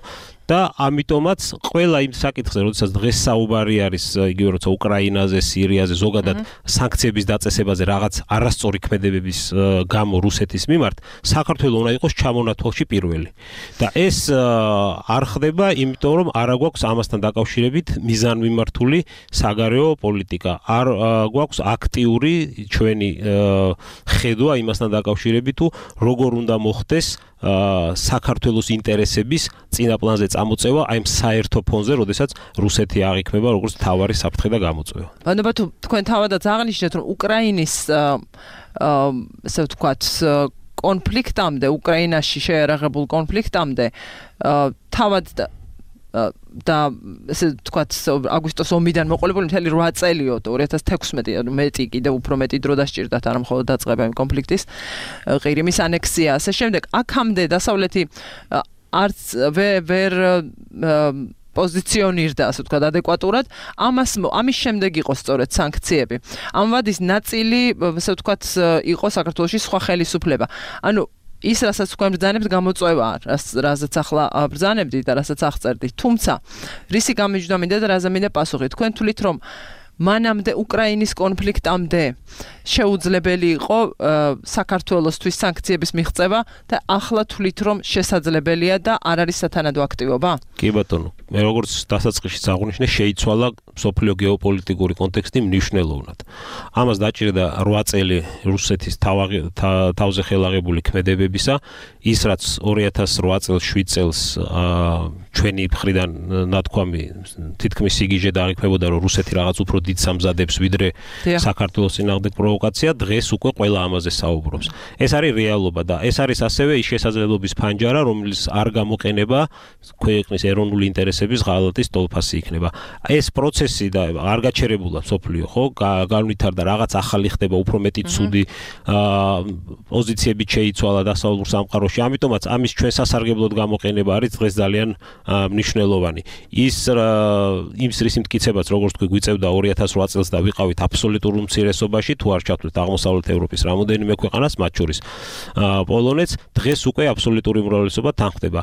და ამიტომაც ყველა იმ საკითხზე, როდესაც დღეს საუბარი არის იგივე როცა უკრაინაზე, სირიაზე, ზოგადად სანქციების დაწესებაზე რაღაც არასწორი ქმედებების გამო რუსეთის მიმართ, საქართველო უნდა იყოს ჩამონათვალში პირველი. და ეს არ ხდება, იმიტომ რომ არ გვაქვს ამასთან დაკავშირებით მიზანმიმართული საგარეო პოლიტიკა. არ გვაქვს აქტიური ჩვენი ხედვა იმასთან დაკავშირებით, თუ როგორ უნდა მოხდეს საქართველოს ინტერესების წინაპლანზე წამოწევა აი ამ საერთო ფონზე, როდესაც რუსეთი აღიქმება როგორც მთავარი საფრთხე და გამოწვევა. ბანობა თუ თქვენ თავადაც აღნიშნეთ, რომ უკრაინის ასე ვთქვათ კონფლიქტამდე, უკრაინაში შეერაღებულ კონფლიქტამდე თავად და ესე ვთქვათ აგვისტოს ომიდან მოყოლებული მთელი რვა წელიო ორი ათას თექვსმეტი მეტი კიდევ უფრო მეტი დრო დასჭირდათ არა მხოლოდ დაწყება იმ კონფლიქტის ყირიმის ანექსია ასე შემდეგ აქამდე დასავლეთი არც ვერ პოზიციონირდა ასე ვთქვათ ადეკვატურად ამას ამის შემდეგ იყო სწორედ სანქციები ამ ვადის ნაწილი ასე ვთქვათ იყო საქართველოში სხვა ხელისუფლება ანუ ის რასაც თქვენ ბრძანებთ გამოწვევა რაზეც ახლა ბრძანებდით და რასაც აღწერდით თუმცა რისი გამიჯვნა მინდა და რაზე მინდა პასუხი თქვენ თვლით რომ მანამდე უკრაინის კონფლიქტამდე შეუძლებელი იყო საქართველოსთვის სანქციების მიღწევა და ახლა თვლით რომ შესაძლებელია და არ არის სათანადო აქტივობა? კი ბატონო, მე როგორც დასაწყისშიც აღვნიშნე, შეიცვალა სოფლიო გეოპოლიტიკური კონტექსტი მნიშვნელოვნად. ამას დაჭირდა რვა წელი რუსეთის თავზე ხელაღებული ქმედებებისა, ის რაც ორი ათას რვა წელს შვიდ წელს ჩვენი მხრიდან ნათქვამი თითქმის სიგიჟე დააყენებოდა, რომ რუსეთი რაღაც უფრო დიდ სამზადებს ვიდრე საქართველოს წინააღმდეგ პროვოკაცია, დღეს უკვე ყველა ამაზე საუბრობს. ეს არის რეალობა და ეს არის ასევე ის შესაძლებლობის ფანჯარა, რომელიც არ გამოყენება ქვეყნის ეროვნული ინტერესების ღალატის ტოლფასი იქნება. ეს პროცესი და არ გაჩერებულა სოფლიო, ხო? განვითარდა, რაღაც ახალი ხდება, უფრო მეტი ცუდი პოზიციები შეიცვალა დასავლურ სამყაროში. ამიტომაც ამის ჩვენ სასარგებლოდ გამოყენება არის დღეს ძალიან მნიშვნელოვანი. ის იმ სრის იმტკიცებაც, როგორც თქვი, გვიწევდა ორი ათას რვა წელს და ვიყავით აბსოლუტურ უმცირესობაში, თუ არ ჩავთვლით აღმოსავლეთ ევროპის რამოდენიმე ქვეყანას, მათ შორის პოლონეთს, დღეს უკვე აბსოლუტური უმრავლესობა თანხდება.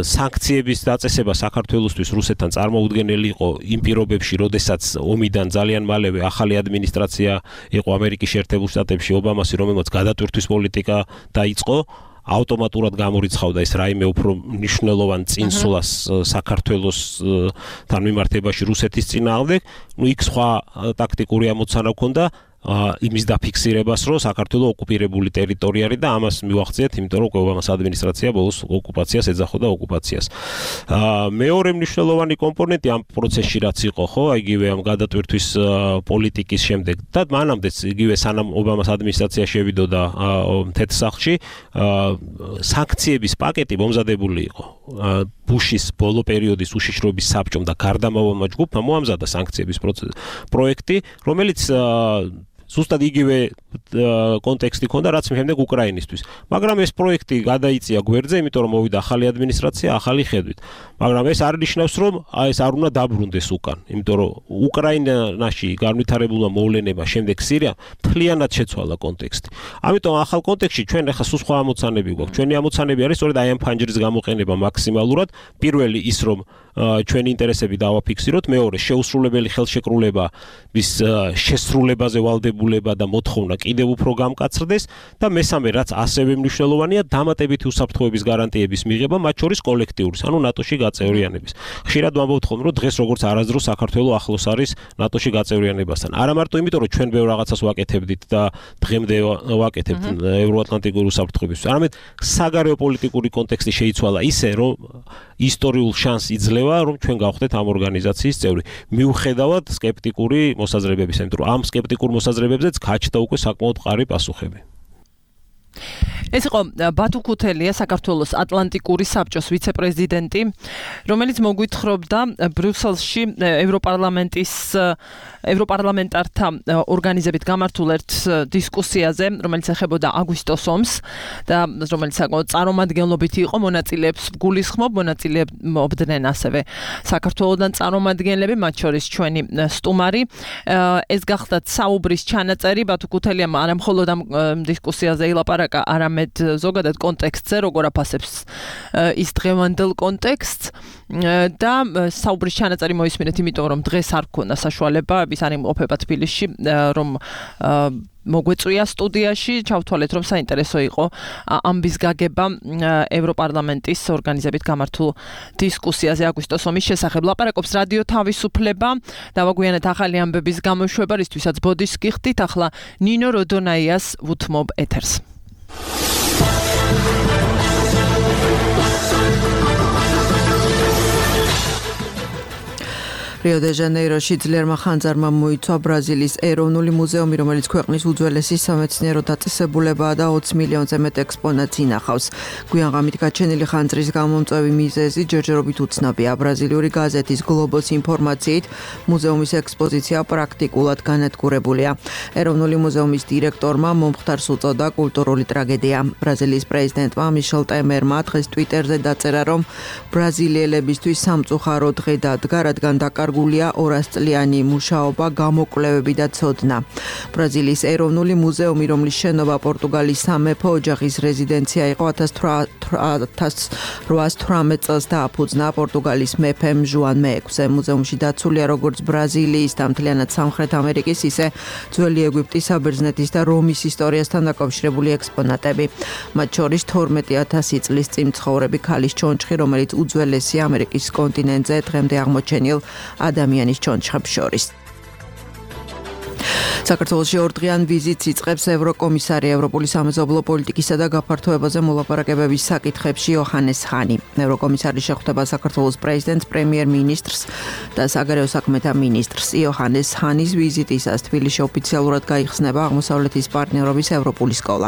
სანქციების დაწესება საქართველოსთვის რუსეთთან წარმოუდგენელი იყო იმ პირობებში, როდესაც ომიდან ძალიან მალევე ახალი ადმინისტრაცია იყო ამერიკის შეერთებულ შტატებში, ობამასი, რომელმაც გადატვირთვის პოლიტიკა დაიწყო. ავტომატურად გამორიცხავდა ეს რაიმე უფრო მნიშვნელოვან წინსვლას საქართველოსთან მიმართებაში რუსეთის წინააღმდეგ. ნუ იქ სხვა ტაქტიკური ამოცანა ჰქონდა იმის დაფიქსირებას, რომ საქართველოს ოკუპირებული ტერიტორია არის და ამას მივახციეთ, იმიტომ რომ ობამას ადმინისტრაცია ბოლოს ოკუპაციას ეძახოდა ოკუპაციას. მეორე მნიშვნელოვანი კომპონენტი ამ პროცესში რაც იყო, ხო, იგივე ამ გადატვირთვის პოლიტიკის შემდეგ და მანამდეც იგივე სანამ ობამას ადმინისტრაცია შევიდოდა თეთრსახლში, სანქციების პაკეტი მომზადებული იყო. ბუშის ბოლო პერიოდის უშიშროების საბჭომ და გარდამავალმა ჯგუფმა მოამზადა სანქციების პროექტი, რომელიც ზუსტად იგივე კონტექსტი ჰქონდა, რაც შემდეგ უკრაინისთვის. მაგრამ ეს პროექტი გადაიწია გვერდზე, იმიტომ რომ მოვიდა ახალი ადმინისტრაცია, ახალი ხედვით. მაგრამ ეს არ ნიშნავს, რომ ეს არ უნდა დაბრუნდეს უკან, იმიტომ რომ უკრაინაში განვითარებულმა მოვლენებმა შემდეგ სირია მთლიანად შეცვალა კონტექსტი. ამიტომ ახალ კონტექსტში ჩვენ ახლა სულ სხვა ამოცანები გვაქვს. ჩვენი ამოცანები არის სწორედ აი ამ ფანჯრის გამოყენება მაქსიმალურად. პირველი ის, რომ ჩვენი ინტერესები დავაფიქსიროთ, მეორე შეუსრულებელი ხელშეკრულების შესრულებაზე ვალდებულება და მოთხოვნა კიდევ უფრო გამკაცრდეს და მესამე, რაც ასევე მნიშვნელოვანია, დამატებითი უსაფრთხოების გარანტიების მიღება, მათ შორის კოლექტიურის, ანუ ნატოში გაწევრიანების. ხშირად ვამბობთ ხოლმე, რომ დღეს როგორც არასდროს საქართველოს ახლოს არის ნატოში გაწევრიანებასთან. არა მარტო იმიტომ, რომ ჩვენ ბევრ რაღაცას ვაკეთებდით და დღემდე ვაკეთებთ ევროატლანტიკური უსაფრთხოების, არამედ საგარეო პოლიტიკური კონტექსტი შეიცვალა ისე, რომ ისტორიულ შანსს იძლევა, რომ ჩვენ გავხდეთ ამ ორგანიზაციის წევრი. მიუხედავად სკეპტიკური მოსაზრებების, იმიტომ რომ ამ სკეპტიკურ მოსაზრებებზეც გაჩნდა უკვე საკმაოდ მყარი პასუხები. ეს იყო ბათუ ქუთელია, საქართველოს ატლანტიკური საბჭოს ვიცე-პრეზიდენტი, რომელიც მოგვითხრობდა ბრიუსელში ევროპარლამენტის ევროპარლამენტართა ორგანიზებით გამართულ ერთ დისკუსიაზე, რომელიც ეხებოდა აგვისტოს ომს და რომელიც საკმაოდ წარმომადგენლობით იყო, მონაწილეებს გულისხმობ, მონაწილეობდნენ ასევე საქართველოსდან წარმომადგენლები, მათ შორის ჩვენი სტუმარი. ეს გახდათ საუბრის ჩანაწერი, ბათუ ქუთელიამ არა მხოლოდ ამ დისკუსიაზე ილაპარაკა, არამედ ზოგადად კონტექსტზე, როგორ აფასებს ის დღევანდელ კონტექსტს და საუბრის ჩანაწერი მოისმინეთ, იმიტომ რომ დღეს არ გქონდა საშუალება ის არ იმყოფება თბილისში, რომ მოგვეწვია სტუდიაში, ჩავთვალეთ, რომ საინტერესო იყო ამბის გაგება ევროპარლამენტის ორგანიზებით გამართულ დისკუსიაზე აგვისტოს ომის შესახებ. ლაპარაკობს რადიო თავისუფლება, დავაგვიანეთ ახალი ამბების გამოშვება, რისთვისაც ბოდის გიხდით, ახლა ნინო როდონაიას ვუთმობ ეთერს. რიო-დე-ჟანეიროში ძლიერმა ხანძარმა მოიცვა ბრაზილიის ეროვნული მუზეუმი, რომელიც ქვეყნის უძველესი სამეცნიერო დაწესებულებაა და ოცი მილიონზე მეტ ექსპონატს ინახავს. გვიან ღამით გაჩენილი ხანძრის გამომწვევი მიზეზი ჯერჯერობით უცნობია. ბრაზილიური გაზეთის გლობოს ინფორმაციით, მუზეუმის ექსპოზიცია პრაქტიკულად განადგურებულია. ეროვნული მუზეუმის დირექტორმა მომხდარს უწოდა კულტურული ტრაგედია. ბრაზილიის პრეზიდენტმა მიშელ ტემერმა დღეს ტვიტერზე დაწერა, რომ ბრაზილიელებისთვის სამწუხარო დღე დადგა, რადგან დაკარგულია განსახილვებულია ორასწლიანი მუშაობა, გამოკვლევები და ცოდნა. ბრაზილიის ეროვნული მუზეუმი, რომლის შენობა პორტუგალიის სამეფო ოჯახის რეზიდენცია იყო, ათას რვაასი თვრამეტ წელს დააფუძნა პორტუგალიის მეფემ ჟუან მეექვსე. მუზეუმში დაცულია როგორც ბრაზილიის და მთლიანად სამხრეთ ამერიკის, ისე ძველი ეგვიპტის, საბერძნეთის და რომის ისტორიასთან დაკავშირებული ექსპონატები. მათ შორის თორმეტი ათასი წლის წინ მცხოვრები ქალის ჩონჩხი, რომელიც უძველესი ამერიკის კონტინენტზე დღემდე აღმოჩენილ ადამიანის ჩონჩხებს შორის. საქართველოში ორდღიან ვიზიტს იწყებს ევროკომისარი ევროპული სამეზობლო პოლიტიკისა და გაფართოებაზე მოლაპარაკებების საკითხებში იოჰანეს ჰანი. ევროკომისარი შეხვდება საქართველოს პრეზიდენტს, პრემიერ-მინისტრს და საგარეო საქმეთა მინისტრს. იოჰანეს ჰანის ვიზიტისას თბილისში ოფიციალურად გაიხსნება აღმოსავლეთის პარტნიორობის ევროპული სკოლა.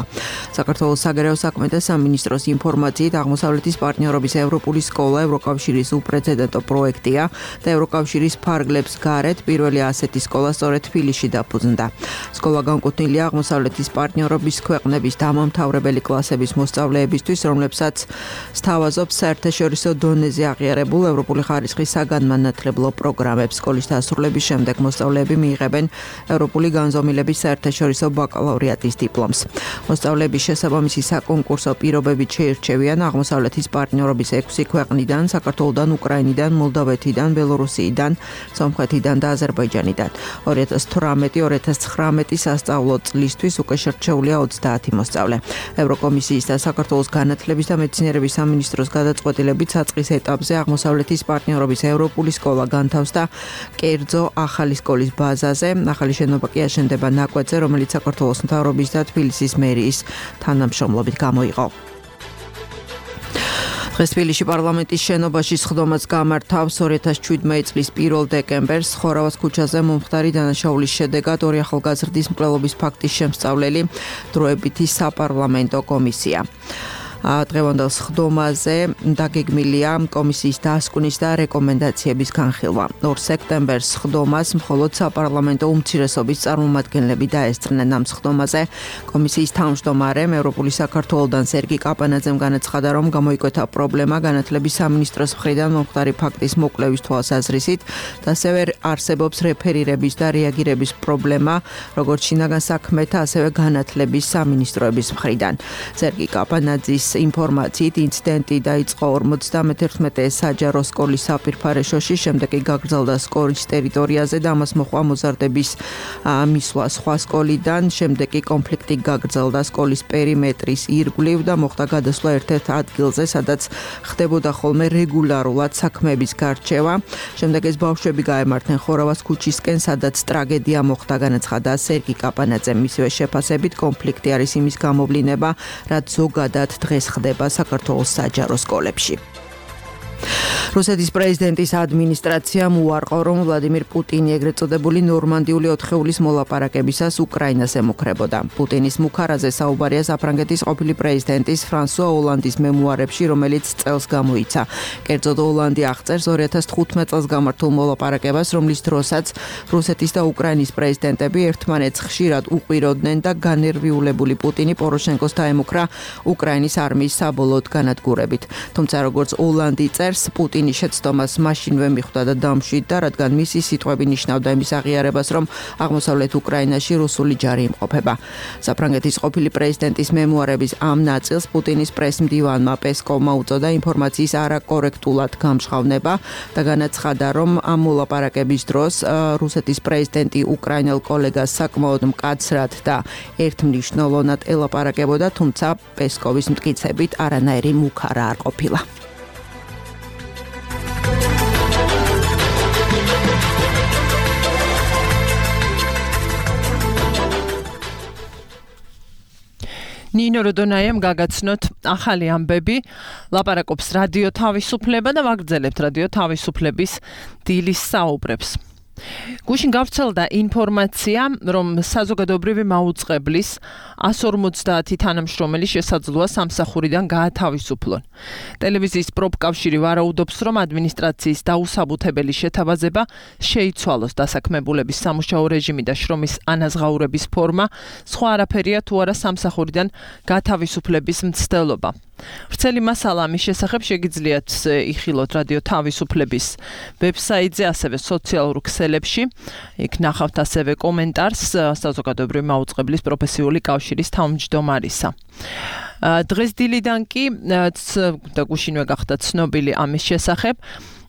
საქართველოს საგარეო საქმეთა სამინისტროს ინფორმაციით, აღმოსავლეთის პარტნიორობის ევროპული სკოლა ევროკავშირის უპრეცედენტო პროექტია და ევროკავშირის ფარგლებს გარეთ პირველი ასეთი სკოლა სწორედ თბილისში დაფუძნდა. სკოლა განკუთვნილია აღმოსავლეთის პარტნიორობის ქვეყნების დამამთავრებელი კლასების მოსწავლეებისთვის, რომლებსაც სთავაზობს საერთაშორისო დონეზე აღიარებულ ევროპული ხარისხის საგანმანათლებლო პროგრამებს. სკოლის დასრულების შემდეგ მოსწავლეები მიიღებენ ევროპული განზომილების საერთაშორისო ბაკალავრიატის დიპლომს. მოსწავლეების შესაბამისი საკონკურსო პირობებით შეირჩევიან აღმოსავლეთის პარტნიორობის ექვსი ქვეყნიდან, საქართველოდან, უკრაინიდან, მოლდავეთიდან, ბელორუსიიდან, სომხეთიდან და აზერბაიჯანიდან. ორი ათას თვრამეტი ორი ათას ცხრამეტი სასწავლო წლისთვის უკვე შერჩეულია ოცდაათი მოსწავლე. ევროკომისიის და საქართველოს განათლების და მეცნიერების სამინისტროს გადაწყვეტილებით საწყის ეტაპზე აღმოსავლეთის პარტნიორობის ევროპული სკოლა განთავსდა კერძო ახალი სკოლის ბაზაზე. ახალი შენობა კი აშენდება ნაკვეთზე, რომელიც საქართველოს მთავრობის და თბილისის მერიის თანამშრომლობით გამოიყო. დღეს თბილისში პარლამენტის შენობაში სხდომაც გამართავს. ორი ათას შვიდმეტი წლის პირველ დეკემბერს ხორავას ქუჩაზე მომხდარი დანაშაულის შედეგად ორი ახალგაზრდის მკვლელობის ფაქტის შემსწავლელი დროებითი საპარლამენტო კომისია. დღევანდელ სხდომაზე დაგეგმილია კომისიის დასკვნის და რეკომენდაციების განხილვა. ორ სექტემბერს სხდომას მხოლოდ საპარლამენტო უმცირესობის წარმომადგენლები დაესწრნენ. ამ სხდომაზე კომისიის თავმჯდომარემ ევროპული საქართველოდან სერგი კაპანაძემ განაცხადა, რომ გამოიკვეთა პრობლემა განათლების სამინისტროს მხრიდან მომხდარი ფაქტის მოკვლევის თვალსაზრისით და ასევე არსებობს რეფერირების და რეაგირების პრობლემა როგორც შინაგან საქმეთა, ასევე განათლების სამინისტროების მხრიდან. სერგი კაპანაძის ინფორმაციით ინციდენტი დაიწყო ორმოცდამეთერთმეტე საჯარო სკოლის საპირფარეშოში, შემდეგ კი გაგრძელდა სკოლის ტერიტორიაზე და ამას მოჰყვა მოზარდების მისვლა სხვა სკოლიდან, შემდეგ კი კონფლიქტი გაგრძელდა სკოლის პერიმეტრის ირგვლივ და მოხდა გადასვლა ერთ-ერთ ადგილზე, სადაც ხდებოდა ხოლმე რეგულარულად საქმეების გარჩევა. შემდეგ ეს ბავშვები გაემართნენ ხორავას ქუჩისკენ, სადაც ტრაგედია მოხდა, განაცხადა სერგი კაპანაძემ. მისივე შეფასებით კონფლიქტი არის იმის გამოვლინება, რაც ზოგადად დღეს ხდება საქართველოს საჯარო სკოლებში. რუსეთის პრეზიდენტის ადმინისტრაციამ უარყო, რომ ვლადიმირ პუტინი ეგრეთ წოდებული ნორმანდიული ოთხეულის მოლაპარაკებისას უკრაინას ემუქრებოდა. პუტინის მუქარაზე საუბარია საფრანგეთის ყოფილი პრეზიდენტის ფრანსუა ოლანდის მემუარებში, რომელიც წელს გამოიცა. კერძოდ ოლანდი აღწერს ორი ათას თხუთმეტ წელს გამართულ მოლაპარაკებას, რომლის დროსაც რუსეთის და უკრაინის პრეზიდენტები ერთმანეთს ხშირად უყვიროდნენ და განერვიულებული პუტინი პოროშენკოს დაემუქრა უკრაინის არმიის საბოლოოდ განადგურებით. თუმცა როგორც ოლანდი წერს, პუტინის შეცდომას მაშინვე მიხვდა და დამშვიდდა, რადგან მისი სიტყვები ნიშნავდა იმის აღიარებას, რომ აღმოსავლეთ უკრაინაში რუსული ჯარი იმყოფება. საფრანგეთის ყოფილი პრეზიდენტის მემუარების ამ ნაწილს პუტინის პრესმდივანმა პესკოვმა უწოდა ინფორმაციის არაკორექტულად გამჟღავნება და განაცხადა, რომ ამ მოლაპარაკების დროს რუსეთის პრეზიდენტი უკრაინელ კოლეგას საკმაოდ მკაცრად და ერთმნიშვნელოვნად ელაპარაკებოდა, თუმცა პესკოვის მტკიცებით არანაირი მუქარა არ ყოფილა. ნინო როდონაიამ გაგაცნოთ ახალი ამბები, ლაპარაკობს რადიო თავისუფლება და ვაგრძელებთ რადიო თავისუფლების დილის საუბრებს. გუშინ გავრცელდა ინფორმაცია, რომ საზოგადოებრივი მაუწყებლის ასი ორმოცდაათი თანამშრომელი შესაძლოა სამსახურიდან გაათავისუფლონ. ტელევიზიის პროფკავშირი ვარაუდობს, რომ ადმინისტრაციის დაუსაბუთებელი შეთავაზება შეიცვალოს დასაქმებულების სამუშაო რეჟიმი და შრომის ანაზღაურების ფორმა, სხვა არაფერია თუ არა სამსახურიდან გაათავისუფლების მცდელობა. ვრცელი მასალა ამის შესახებ შეგიძლიათ იხილოთ რადიო თავისუფლების ვებსაიტზე, ასევე სოციალურ ქსელებში. იქ ნახავთ ასევე კომენტარს საზოგადოებრივი მაუწყებლის პროფესიული კავშირის თავმჯდომარისა. დღეს დილიდან კი და გუშინვე გახდა ცნობილი ამის შესახებ.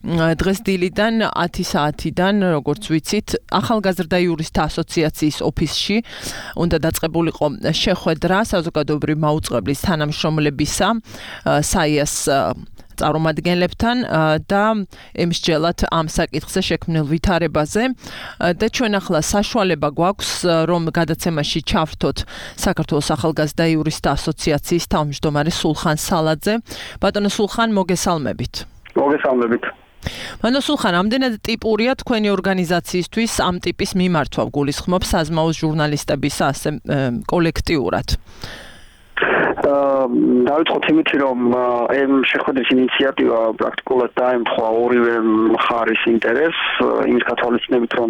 დღეს დილიდან ათი საათიდან, როგორც ვიცით, ახალგაზრდა იურისტთა ასოციაციის ოფისში უნდა დაწყებულიყო შეხვედრა საზოგადოებრივი მაუწყებლის თანამშრომლებისა, საიას წარმომადგენლებთან და ემსჯელად ამ საკითხზე შექმნილ ვითარებაზე და ჩვენ ახლა საშუალება გვაქვს, რომ გადაცემაში ჩავრთოთ საქართველოს ახალგაზრდა იურისტთა ასოციაციის თავმჯდომარე სულხან სალაძე. ბატონო სულხან, მოგესალმებით. მოგესალმებით. ბატონო სულხან, ამდენად ტიპურია თქვენი ორგანიზაციისთვის ამ ტიპის მიმართვა გულისხმობს საზმაოს ჟურნალისტების ასე კოლექტიურად. დავიწყოთ იმით, რომ ამ შეხვედრის ინიციატივა პრაქტიკულად დაემთხვა ორივე მხარის ინტერესს, იმის გათვალისწინებით, რომ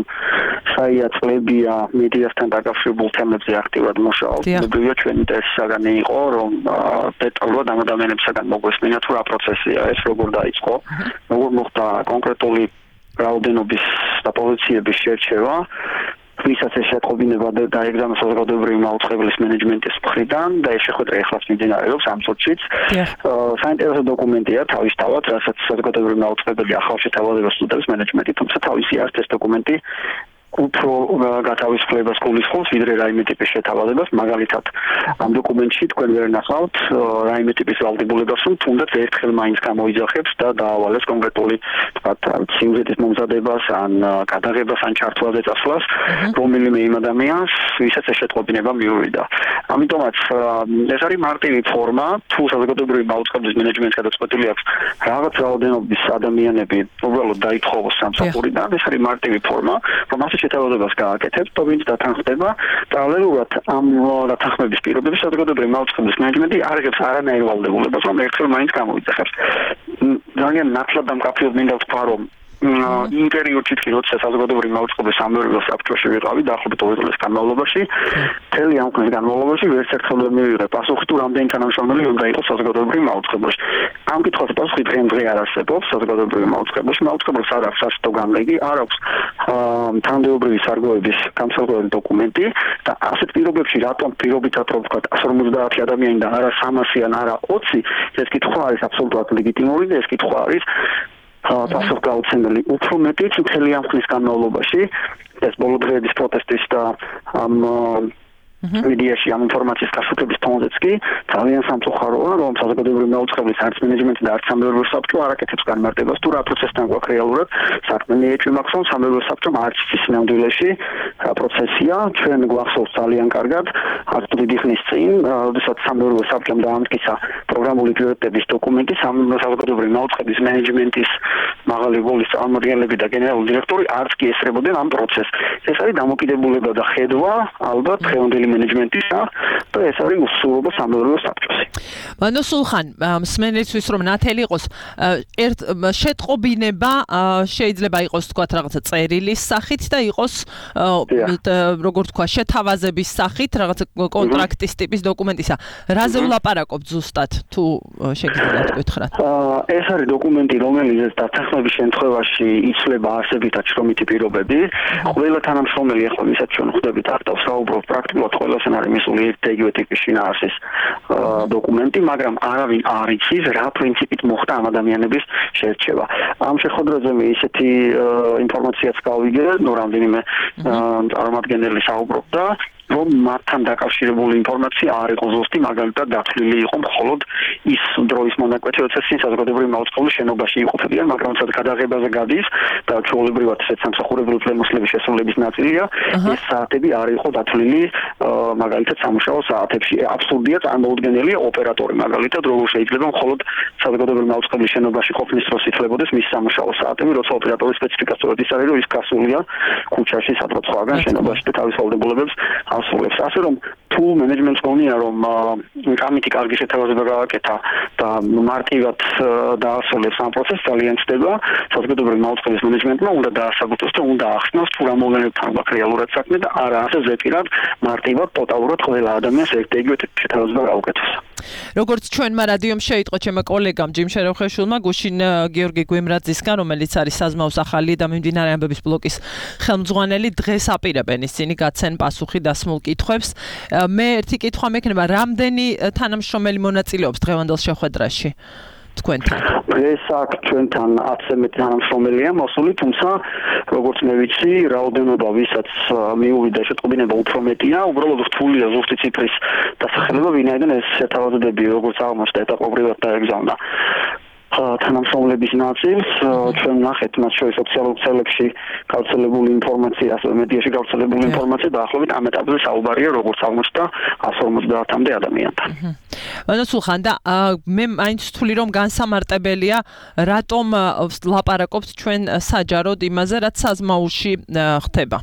საია წლებია მედიასთან დაკავშირებულ თემებზე აქტიურად მუშაობს. მებრივია ჩვენ ინტერესისაგანი იყო, რომ დეტალურად ამ ადამიანებისაგან მოგვესმინათ, რა პროცესია ეს, როგორ დაიწყო, როგორ მოხდა კონკრეტული რაოდენობის და პოზიციების შერჩევა. ვისაც ეს შეტყობინება დაეგზავნა საზოგადოებრივი მაუწყებლის მენეჯმენტის მხრიდან და ეს შეხვედრა ეხლაც მიმდინარეობს ამ სოციუმშიც. საინტერესო დოკუმენტია თავისთავად, რასაც საზოგადოებრივი მაუწყებელი ახალ შეთავაზებას უდევს მენეჯმენტი, თუმცა თავისი არც ეს დოკუმენტი უფრო გათავისუფლებას გულისხმობს, ვიდრე რაიმე ტიპის შეთავაზებას. მაგალითად, ამ დოკუმენტში თქვენ ვერ ნახავთ რაიმე ტიპის ვალდებულებას, რომ თუნდაც ერთხელ მაინც გამოიძახებს და დაავალებს კონკრეტული, თქვათ, სიუჟეტის მომზადებას, ან გადაღებას, ან ჩართვაზე წასვლას, რომელიმე იმ ადამიანს, ვისაც ეს შეტყობინება მიუვიდა. ამიტომაც ეს არის მარტივი ფორმა, თუ საზოგადოებრივი მაუწყებლის მენეჯმენტს გადაწყვეტილი აქვს რაღაც რაოდენობის ადამიანები უბრალოდ დაითხოვოს სამსახურიდან, ეს არის მარტივი ფორმა, რომ შეთავაზებას გააკეთებს, თუმცა დათანხმდება, პარალელურად ამ დათანხმების პირობებში საზოგადოებრივი მაუწყებლის მენეჯმენტი არ იღებს არანაირ ვალდებულებას, რომ ერთხელ მაინც გამოიძახებს. ძალიან ნათლად დამკაფიოდ მინდა ვთქვა, რომ იმ პერიოდში, როცა საზოგადოებრივი მაუწყებლის სამეურნეო საბჭოში ვიყავი, დაახლოებით ორი წლის განმავლობაში, მთელი ამ ხნის განმავლობაში ვერც ერთხელ ვერ მივიღე პასუხი, თუ რამდენი თანამშრომელი უნდა იყოს საზოგადოებრივი მაუწყებელში. ამ კითხვაზე პასუხი დღემდე არ არსებობს საზოგადოებრივი მაუწყებელში. მაუწყებელს არ აქვს საშტო განლეგი, არ აქვს თანამდებობრივი სარგოების გამსხვილებელი დოკუმენტი და ასეთ პირობებში რატომ პირობითად რომ ვთქვათ εκατს ორმოცდაათი ადამიანი და არა სამასი ან არა ოცი, ეს კითხვა არის აბსოლუტურად ლეგიტიმური და ეს კითხვა არის პასუხგაუცემელი. უფრო მეტიც მთელი ამ ხნის განმავლობაში ეს ბოლო დღეების პროტესტის და ამ მედიაში ამ ინფორმაციის გასუქების თონზეც კი ძალიან სამწუხაროა, რომ საზოგადოებრივი მაუწყებლის არც მენეჯმენტი და არც სამეურნეო საბჭო არ აკეთებს განმარტებას, თუ რა პროცესთან გვაქვს რეალურად საქმე ეჭვი მაქვს, რომ სამეურნეო საბჭომ არც ის სინამდვილეში რა პროცესია, ჩვენ გვახსოვს ძალიან კარგად, აქ დიდი ხნის წინ, როდესაც სამეურნეო საბჭომ დაამტკიცა პროგრამული პრიორიტეტების დოკუმენტი, საზოგადოებრივი მაუწყებლის მენეჯმენტის მაღალი როლის წარმომადგენლები და გენერალური დირექტორი არც კი ესწრებოდნენ ამ პროცესს. ეს არის დამოკიდებულება და ხედვა ალბათ დღევანდელი მენეჯმენტისა და ეს არის უსულობა სამეურნეო საბჭოში. ბატონო სულხან, მსმენელისთვის რომ ნათელი იყოს, ერთ შეტყობინება შეიძლება იყოს თქვათ რაღაცა წერილის სახით და იყოს როგორ თქვა შეთავაზების სახით, რაღაცა კონტრაქტის ტიპის დოკუმენტისა. რაზე ვლაპარაკობთ ზუსტად, თუ შეგიძლიათ გითხრათ? ეს არის დოკუმენტი, რომელიც დათანხმების შემთხვევაში იცვლება არსებითად შრომითი პირობები. ყველა თანამშრომელი ახლა ვისაც ჩვენ ხვდებით აქტავს საუბრობ პრაქტიკულად ყველასთან არის მისული ერთ და იგივე ტიპის შინაარსის დოკუმენტი, მაგრამ არავინ არ იცის რა პრინციპით მოხდა ამ ადამიანების შერჩევა. ამ შეხვედრაზე მე ისეთი ინფორმაციაც გავიგე, ნუ რამდენიმე წარმომადგენელი საუბრობდა, რომ მათთან დაკავშირებული ინფორმაცია არ იყო ზუსტი, მაგალითად დათვლილი იყო მხოლოდ ის დროის მონაკვეთი, როცა წინ საზოგადოებრივი მაუწყებლის შენობაში იყოფებიან, მაგრამ სადაც გადაღებაზე გადის და ჩვეულებრივად ესეც სამსახურებრივი უფლებამოსილების შესრულების ნაწილია, ეს საათები არ იყო დათვლილი მაგალითად სამუშაო საათებში. აბსურდია, წარმოუდგენელია ოპერატორი მაგალითად როგორ შეიძლება მხოლოდ საზოგადოებრივი მაუწყებლის შენობაში ყოფნის დროს ითვლებოდეს მის სამუშაო საათები, როცა ოპერატორის სპეციფიკაციურად ის არის, რომ ის გასულია ქუჩაში სადღაც სხვაგან შენობაში და თავის ვალდებულებებს ასრულებს. ასე რომ თუ მენეჯმენტს გონია რომ კამიტი კარგი შეთავაზება გააკეთა და მარტივად დაასრულებს ამ პროცესს ძალიან ცდება საზოგადოებრივი მაუწყებლის მენეჯმენტმა უნდა დაასაბუთოს და უნდა ახსნას თუ რა მოვლენებთან გვაქვს რეალურად საქმე და არა ასე ზეპირად მარტივად ტოტალურად ყველა ადამიანს ერთ-ერთი შეთავაზება გაუკეთოს. როგორც ჩვენმა რადიომ შეიტყო ჩემმა კოლეგამ ჯიმ შეროხეშვილმა გუშინ გიორგი გვემრაძისგან რომელიც არის საზმაოს ახალი და მიმდინარე ამბების ბლოკის ხელმძღვანელი დღეს აპირებენ ისინი გაცენ პასუხი დასმულ კითხვებს. მე ერთი კითხვა მექნება რამდენი თანამშრომელი მონაწილეობს დღევანდელ შეხვედრაში თქვენთან? დღეს აქ ჩვენთან ათზე მეტი თანამშრომელია მოსული, თუმცა როგორც მე ვიცი, რაოდენობა ვისაც მიუვიდა შეტყობინება უფრო მეტია, უბრალოდ რთულია ზუსტი ციფრის დასახელება, ვინაიდან ეს შეთავაზებები როგორც აღმოჩნდა ეტაპობრივად დაეგზავნა თანამშრომლების ნაწილს, ჩვენ ნახეთ მათ შორის ოფიციალურ ქსელებში გავრცელებული ინფორმაცია, ასევე მედიაში გავრცელებული ინფორმაცია დაახლოებით ამ ეტაპზე საუბარია როგორც აღმოჩნდა εκατს ორმოცდაათამდე ადამიანთან. ანუ სულხან და მე მაინც ვთვლი რომ განსამარტებელია რატომ ლაპარაკობთ ჩვენ საჯაროდ იმაზე რაც საზმაოში ხდება.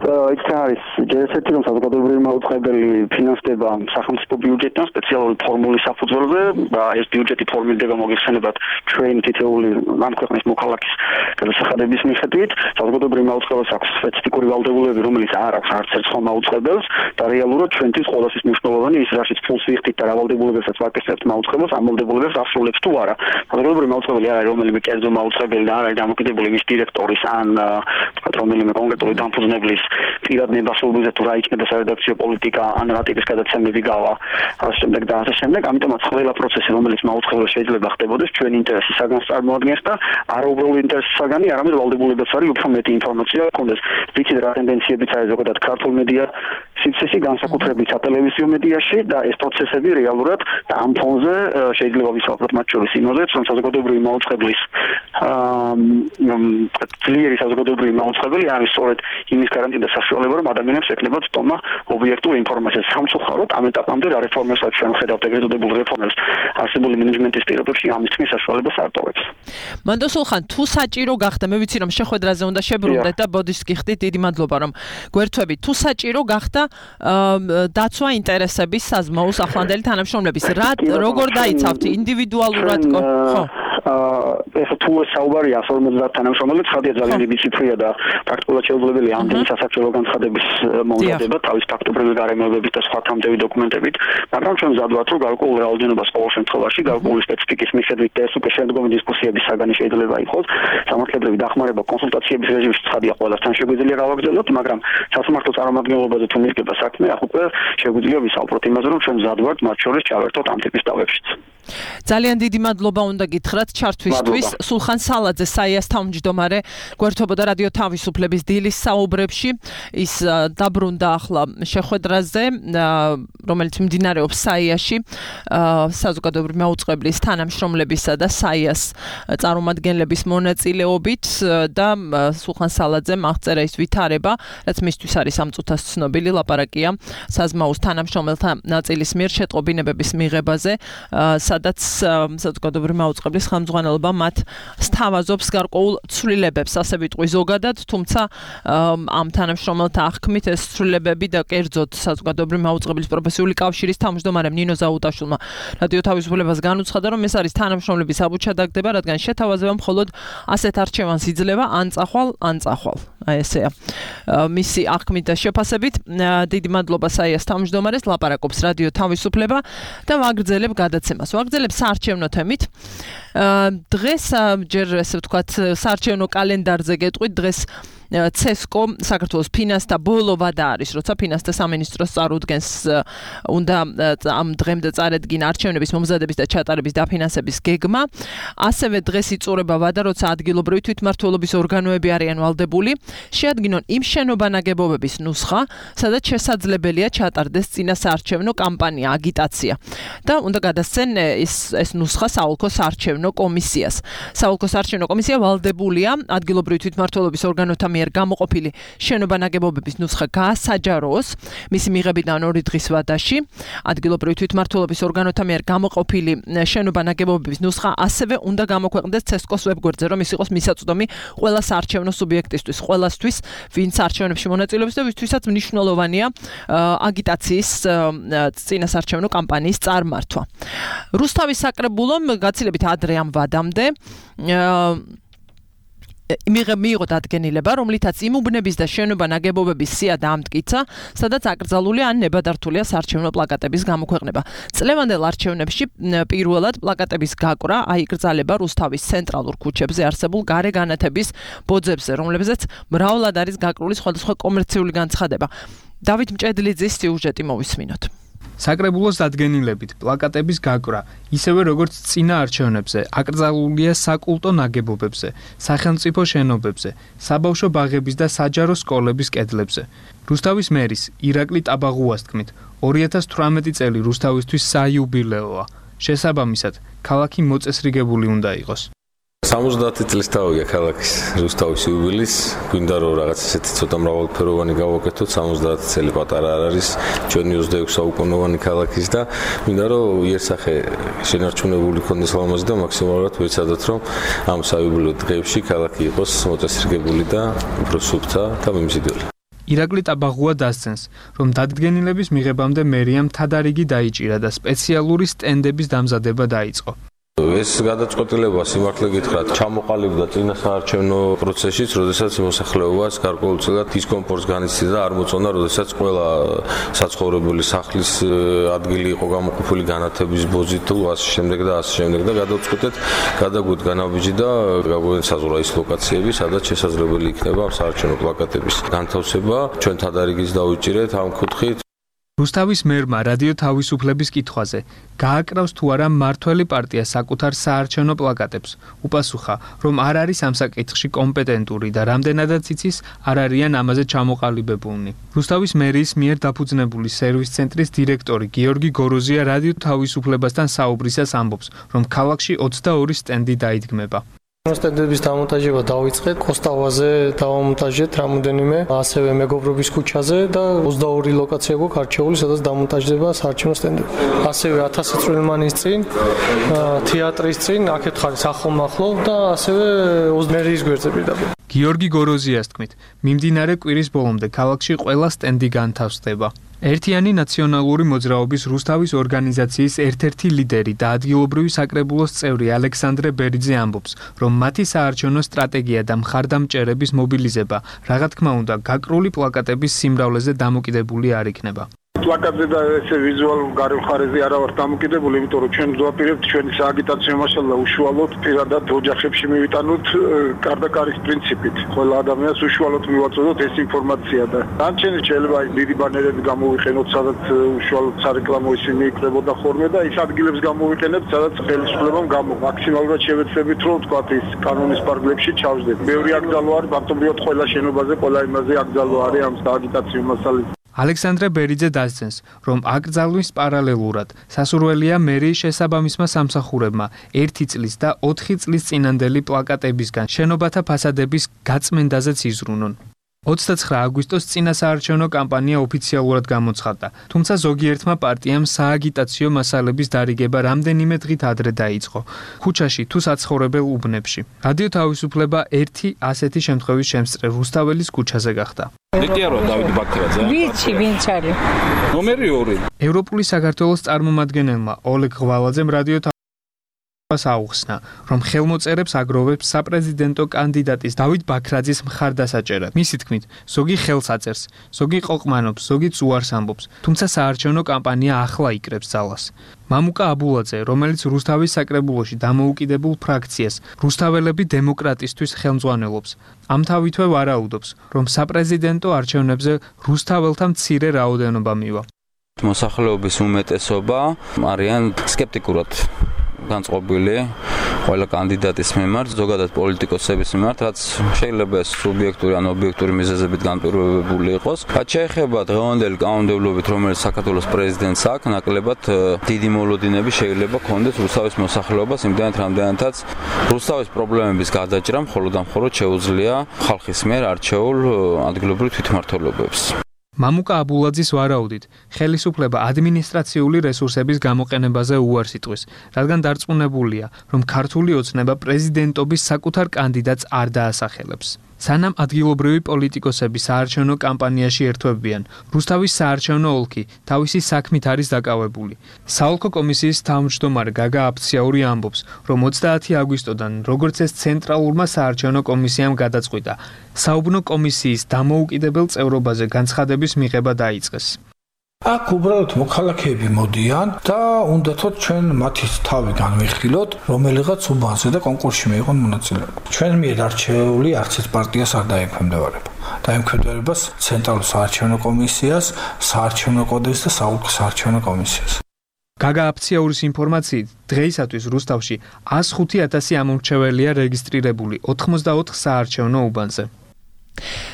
ის არის ჯერესეთი რომ საზოგადოებრივი მაუწყებელი ფინანსდება სახელმწიფო ბიუჯეტიდან სპეციალური ფორმულის საფუძველზე და ეს ბიუჯეტი ფორმირდება მოგეხსენებათ ჩვენ თითოეული ამ ქვეყნის მოქალაქის გადასახადების მიხედვით საზოგადოებრივი მაუწყებელს აქვს სპეციფიკური ვალდებულებები რომელიც არ აქვს არც ერთ სხვა მაუწყებელს და რეალურად ჩვენთვის ყოველთვის მნიშვნელოვანი ის რაშიც ფულს ვიხდით და რა ვალდებულებებსაც ვაკისრებთ მაუწყებელს ამ ვალდებულებებს ასრულებს თუ არა საზოგადოებრივი მაუწყებელი არ არის რომელიმე კერძო მაუწყებელი და არ არის დამოკიდებული მის დირექტორის ან თქვათ რომელიმე კონკრეტული დამფუძნებლის პირად ნებასობაზე თუ რა იქნება სარედაქციო პოლიტიკა ან რა ტიპის გადაცემები გავა ასე შემდეგ და ასე შემდეგ ამიტომაც ყველა პროცესი რომელიც მაუწყებელს შეიძლება ხდებოდეს ჩვენ ინტერესის საგანს წარმოადგენს და არაუბრალოდ ინტერესის საგანი არამედ ვალდებულებაც არის უფრო მეტი ინფორმაცია გქონდეს ვიცით რა ტენდენციებიც არის ზოგადად ქართულ მედია სივრცეში განსაკუთრებით სატელევიზიო მედიაში და ეს პროცესები რეალურად და ამ ფონზე შეიძლება ვისაუბროთ მათ შორის იმაზეც რომ საზოგადოებრივი მაუწყებლის ძლიერი საზოგადოებრივი მაუწყებელი არის სწორედ იმის გარანტია და საშუალება რომ ადამიანებს ეკნებათ თომა ობიექტური ინფორმაცია სამწუხაროდ ამ ეტაპამდე რა რეფორმებსაც ჩვენ ხედავთ ეგრეთ წოდებულ რეფორმებს არსებული მენეჯმენტის პირობებში ამის თქმის საშუალებას არ ტოვებს. მანდო სულხან თუ საჭირო გახდა მე ვიცი რომ შეხვედრაზე უნდა შებრუნდეთ და ბოდიშს გიხდით დიდი მადლობა რომ გვერდთვებით თუ საჭირო გახდა დაცვა ინტერესების საზმაოს ახლანდელი თანამშრომლების რა როგორ დაიცავთ ინდივიდუალურად ხო ეს თუ საუბარია εκατს ორმოცდაათ თანამშრომელი ცხადია ძალიან დიდი ციფრია და პრაქტიკულად შეუძლებელია ამდენი სასარგებლო განცხადების მომზადება თავის ფაქტობრივი გარემოებებით და სხვა თამდევი დოკუმენტებით, მაგრამ ჩვენ ვზადვართ რომ გარკვეულ რაოდენობას ყოველ შემთხვევაში გარკვეული სპეციფიკის მიხედვით და ეს უკვე შემდგომი დისკუსიების საგანი შეიძლება იყოს სამართლებრივი დახმარება კონსულტაციების რეჟიმში ცხადია ყველასთან შეგვიძლია გავაგრძელოთ, მაგრამ სასამართლო წარმომადგენლობაზე თუ მიდგება საქმე ახ უკვე შეგვიძლია ვისაუბროთ იმაზე რომ ჩვენ ვზადვართ მათ შორის ჩავერთოთ ამ ტიპის დავებშიც. ძალიან დიდი მადლობა უნდა გითხრათ ჩართვისთვის. სულხან სალაძე საიას თავმჯდომარე გვერდთვებოდა რადიო თავისუფლების დილის საუბრებში. ის დაბრუნდა ახლა შეხვედრაზე, რომელიც მიმდინარეობს საიაში, საზოგადოებრივი მაუწყებლის თანამშრომლებისა და საიას წარმომადგენლების მონაწილეობით და სულხან სალაძემ აღწერა ის ვითარება, რაც მისთვის არის ამ წუთას ცნობილი ლაპარაკია საზმაოს თანამშრომელთა ნაწილის მიერ შეტყობინებების მიღებაზე, სადაც საზოგადოებრივი მაუწყებლის ხელმძღვანელობა მათ სთავაზობს გარკვეულ ცვლილებებს, ასე ვიტყვი ზოგადად, თუმცა ამ თანამშრომელთა აღქმით ეს ცვლილებები და კერძოდ საზოგადოებრივი მაუწყებლის პროფესიული კავშირის თავმჯდომარემ ნინო ზაუტაშვილმა რადიო თავისუფლებას განუცხადა, რომ ეს არის თანამშრომლების აბუჩადაგდება, რადგან შეთავაზება მხოლოდ ასეთ არჩევანს იძლევა ან წახვალ, ან წახვალ. აი ესეა. მისი აღქმით და შეფასებით დიდი მადლობა საიას თავმჯდომარეს, ლაპარაკობს რადიო თავისუფლება და ვაგრძელებ გადაცემას. ვაგრძელებ საარჩევნო თემით. დღეს ჯერ ესე ვთქვათ საარჩევნო კალენდარზე გეტყვით დღეს ცესკო საქართველოს ფინანსთა ბოლო ვადა არის, როცა ფინანსთა სამინისტროს წარუდგენს უნდა ამ დღემდე წარედგინა არჩევნების მომზადების და ჩატარების დაფინანსების გეგმა. ასევე დღეს იწურება ვადა, როცა ადგილობრივი თვითმმართველობის ორგანოები არიან ვალდებული, შეადგინონ იმ შენობანაგებობების ნუსხა, სადაც შესაძლებელია ჩატარდეს წინა საარჩევნო კამპანია, აგიტაცია. და უნდა გადასცენ ეს ეს ნუსხა საოლქო საარჩევნო კომისიას. საოლქო საარჩევნო კომისია ვალდებულია ადგილობრივი თვითმმართველობის ორგანოთა მიერ მიერ გამოყოფილი შენობა-ნაგებობების ნუსხა გაასაჯაროს. მისი მიღებიდან ორი დღის ვადაში ადგილობრივი თვითმმართველობის ორგანოთა მიერ გამოყოფილი შენობა-ნაგებობების ნუსხა ასევე უნდა გამოქვეყნდეს ცესკოს ვებგვერდზე, რომ ის იყოს მისაწვდომი ყველა საარჩევნო სუბიექტისთვის, ყველასთვის, ვინც არჩევნებში მონაწილეობს და ვისთვისაც მნიშვნელოვანია აგიტაციის წინასარჩევნო კამპანიის წარმართვა. რუსთავის საკრებულომ გაცილებით ადრე ამ ვადამდე მიიღო დადგენილება, რომლითაც იმ უბნების და შენობა-ნაგებობების სია დაამტკიცა, სადაც აკრძალულია ან ნებადართულია საარჩევნო პლაკატების გამოქვეყნება. წლევანდელ არჩევნებში პირველად პლაკატების გაკვრა აიკრძალება რუსთავის ცენტრალურ ქუჩებზე არსებულ გარეგანათების ბოძებზე, რომლებზეც მრავლად არის გაკრული სხვადასხვა კომერციული განცხადება. დავით მჭედლიძის სიუჟეტი მოვისმინოთ. საკრებულოს დადგენილებით პლაკატების გაკვრა, ისევე როგორც წინა არჩევნებზე, აკრძალულია საკულტო ნაგებობებზე, სახელმწიფო შენობებზე, საბავშვო ბაღების და საჯარო სკოლების კედლებზე. რუსთავის მერის ირაკლი ტაბაღუას თქმით, ორი ათას თვრამეტი წელი რუსთავისთვის საიუბილეოა. შესაბამისად, ქალაქი მოწესრიგებული უნდა იყოს. სამოცდაათი წლის თავია ქალაქის რუსთავის იუბილეს, გვინდა რომ რაღაც ესეთი ცოტა მრავალფეროვანი გავაკეთოთ, სამოცდაათი წელი პატარა არ არის ჩვენი ოცდაექვსი საუკუნოვანი ქალაქის და გვინდა რომ იერსახე შენარჩუნებული ქონდეს ლამაზი და მაქსიმალურად ვეცადოთ რომ ამ საიუბილეო დღეებში ქალაქი იყოს მოწესრიგებული და უფრო სუფთა და მიმზიდველი. ირაკლი ტაბაღუა დასცენს, რომ დადგენილების მიღებამდე მერიამ თადარიგი დაიჭირა და სპეციალური სტენდების დამზადება დაიწყო. ეს გადაწყვეტილება სიმართლე გითხრათ ჩამოყალიბდა წინა საარჩევნო პროცესშიც, როდესაც მოსახლეობას გარკვეულწილად დისკომფორტს განიცდიდა და არ მოწონდა, როდესაც ყველა საცხოვრებელი სახლის ადგილი იყო გამოყოფილი განათების ბოძით თუ ასე შემდეგ და ასე შემდეგ და გადავწყვეტეთ გადაგვით განაბიჯი და გაგვეცადეთ საზღვრა ის ლოკაციები, სადაც შესაძლებელი იქნება ამ საარჩევნო პლაკატების განთავსება. ჩვენ თადარიგის დავიჭირეთ ამ კუთხით. რუსთავის მერმა რადიო თავისუფლების კითხვაზე გააკრავს თუ არა მმართველი პარტია საკუთარ საარჩევნო პლაკატებს, უპასუხა, რომ არ არის ამ საკითხში კომპეტენტური და რამდენადაც იცის, არ არიან ამაზე ჩამოყალიბებულნი. რუსთავის მერის მიერ დაფუძნებული სერვის ცენტრის დირექტორი გიორგი გოროზია რადიო თავისუფლებასთან საუბრისას ამბობს, რომ ქალაქში ოცდაორი სტენდი დაიდგმება. სტენდების დამონტაჟება დავიწყეთ, კოსტავაზე დავამონტაჟეთ რამოდენიმე, ასევე მეგობრობის ქუჩაზე და ოცდაორი ლოკაცია გვაქვს არჩეული, სადაც დამონტაჟდება საარჩევნო სტენდები. ასევე ათასი წვრილმანის წინ, თეატრის წინ, აქეთ ხარ ახლო-ახლო და ასევე მერიის გვერდზე პირდაპირ. გიორგი გოროზიას თქმით, მიმდინარე კვირის ბოლომდე ქალაქში ყველა სტენდი განთავსდება. ერთიანი ნაციონალური მოძრაობის რუსთავის ორგანიზაციის ერთ-ერთი ლიდერი და ადგილობრივი საკრებულოს წევრი ალექსანდრე ბერიძე ამბობს, რომ მათი საარჩევნო სტრატეგია და მხარდამჭერების მობილიზება, რა თქმა უნდა, გაკრული პლაკატების სიმრავლეზე დამოკიდებული არ იქნება. პლაკატზე და ესე ვიზუალურ გარემხარეზე არა ვართ დამოკიდებული, იმიტომ რომ ჩვენ ვზვაპირებთ ჩვენი სააგიტაციო მასალა უშუალოდ პირადად ოჯახებში მივიტანოთ კარდაკარის პრინციპით. ყველა ადამიანს უშუალოდ მივაწოდოთ ეს ინფორმაცია და ანჩენ შეიძლება დიდი ბანერები გამოვიყენოთ, სადაც უშუალოდ სარეკლამო ისინი იქნებოდა ხოლმე და ის ადგილებს გამოვიყენებთ, სადაც ხელისუფლებამ გამო მაქსიმალურად შევეცდებით, რომ თქვა ის კანონის პარგლებში ჩავждეთ. ბევრი აკრძალვა არის, მარტივად ყველა შენობაზე, ყველა იმაზე აკრძალვა არის ამ სააგიტაციო მასალით. ალექსანდრე ბერიძე დასცენს, რომ აკრძალვის პარალელურად სასურველია მერიის შესაბამისმა სამსახურებმა ერთი წლის და ოთხი წლის წინანდელი პლაკატებისგან შენობათა ფასადების გაწმენდაზეც იზრუნონ. ოცდაცხრა აგვისტოს წინა საარჩევნო კამპანია ოფიციალურად გამოცხადდა, თუმცა ზოგიერთმა პარტიამ სააგიტაციო მასალების დარიგება რამდენიმე დღით ადრე დაიწყო, ქუჩაში თუ საცხოვრებელ უბნებში. რადიო თავისუფლება ერთი ასეთი შემთხვევის შემსწრე რუსთაველის ქუჩაზე გახდა. დეკიარო დავით ბაქრაძე. ვიცი, ვინც არის? ნომერი ორი. ევროპული საქართველოს წარმომადგენელმა ოლეგ ღვალაძემ რადიო აუხსნა, რომ ხელმოწერებს აგროვებს საპრეზიდენტო კანდიდატის დავით ბაქრაძის მხარდასაჭერად. მისი თქმით, ზოგი ხელს აწერს, ზოგი ყოყმანობს, ზოგიც უარს ამბობს, თუმცა საარჩევნო კამპანია ახლა იკრებს ძალას. მამუკა აბულაძე, რომელიც რუსთავის საკრებულოში დამოუკიდებულ ფრაქციას რუსთაველები დემოკრატისთვის ხელმძღვანელობს, ამთავითვე ვარაუდობს, რომ საპრეზიდენტო არჩევნებზე რუსთაველთა მცირე რაოდენობა მივა. მოსახლეობის უმეტესობა არიან სკეპტიკურად განწყობილი ყველა კანდიდატის მიმართ, ზოგადად პოლიტიკოსების მიმართ, რაც შეიძლება სუბიექტური ან ობიექტური მიზეზებით განპირობებული იყოს. რაც შეეხება დღევანდელი კანონმდებლობით, რომელიც საქართველოს პრეზიდენტს აქვს, ნაკლებად დიდი მოლოდინები შეიძლება ქონდეს რუსთავის მოსახლეობას, იმდენად რამდენადაც რუსთავის პრობლემების გადაჭრა მხოლოდ და მხოლოდ შეუძლია ხალხის მიერ არჩეულ ადგილობრივ თვითმმართველობებს. მამუკა აბულაძის ვარაუდით, ხელისუფლება ადმინისტრაციული რესურსების გამოყენებაზე უარს იტყვის, რადგან დარწმუნებულია, რომ ქართული ოცნება პრეზიდენტობის საკუთარ კანდიდატს არ დაასახელებს. სანამ ადგილობრივი პოლიტიკოსები საარჩევნო კამპანიაში ერთვებიან, რუსთავის საარჩევნო ოლქი თავისი საქმით არის დაკავებული. საოლქო კომისიის თავმჯდომარე გაგა აფციაური ამბობს, რომ ოცდაათი აგვისტოდან, როგორც ეს ცენტრალურმა საარჩევნო კომისიამ გადაწყვიტა, საუბნო კომისიის დამოუკიდებელ წევრობაზე განცხადების მიღება დაიწყეს. აქ უბრალოდ მოქალაქეები მოდიან და უნდათოდ ჩვენ მათი თავი განვიხილოთ, რომელიღაც უბანზე და კონკურსში მიიღონ მონაწილეობა. ჩვენ მიერ არჩეული არც ერთ პარტიას არ დაემქვემდებარება. დაემქვემდებარებას ცენტრალურ საარჩევნო კომისიას, საარჩევნო კოდექსს და საოლქო საარჩევნო კომისიას. გაგა აფციაურის ინფორმაციით, დღეისათვის რუსთავში ას ხუთი ათასი ამომრჩეველია რეგისტრირებული ოთხმოცდაოთხ საარჩევნო უბანზე.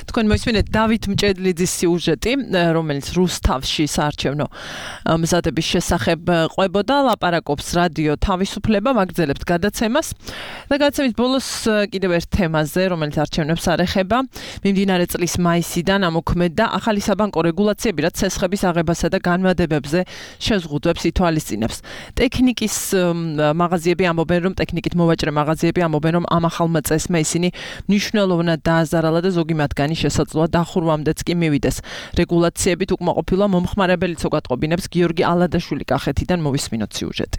თქვენ მოისმინეთ დავით მჭედლიძის სიუჟეტი, რომელიც რუსთავში საარჩევნო მზადების შესახებ ყვებოდა, ლაპარაკობს რადიო თავისუფლება, მაგძელებთ გადაცემას და გადაცემის ბოლოს კიდევ ერთ თემაზე, რომელიც არჩევნებს არ ეხება, მიმდინარე წლის მაისიდან ამოქმედდა ახალი საბანკო რეგულაციები, რაც ცესხების აღებასა და განმადებებზე შეზღუდვებს ითვალისწინებს. ტექნიკის მაღაზიები ამბობენ, რომ ტექნიკით მოვაჭრე მაღაზიები ამბობენ, რომ ამ ახალმა წესმა ისინი მნიშვნელოვნად დააზარალა და ზოგი მათგანი შესაძლოა დახურვამდეც კი მივიდეს. რეგულაციებით უკმაყოფილვა მომხმარებელიც გატყობინებს გიორგი ალადაშვილი კახეთიდან მოვისმინოთ სიუჟეტი.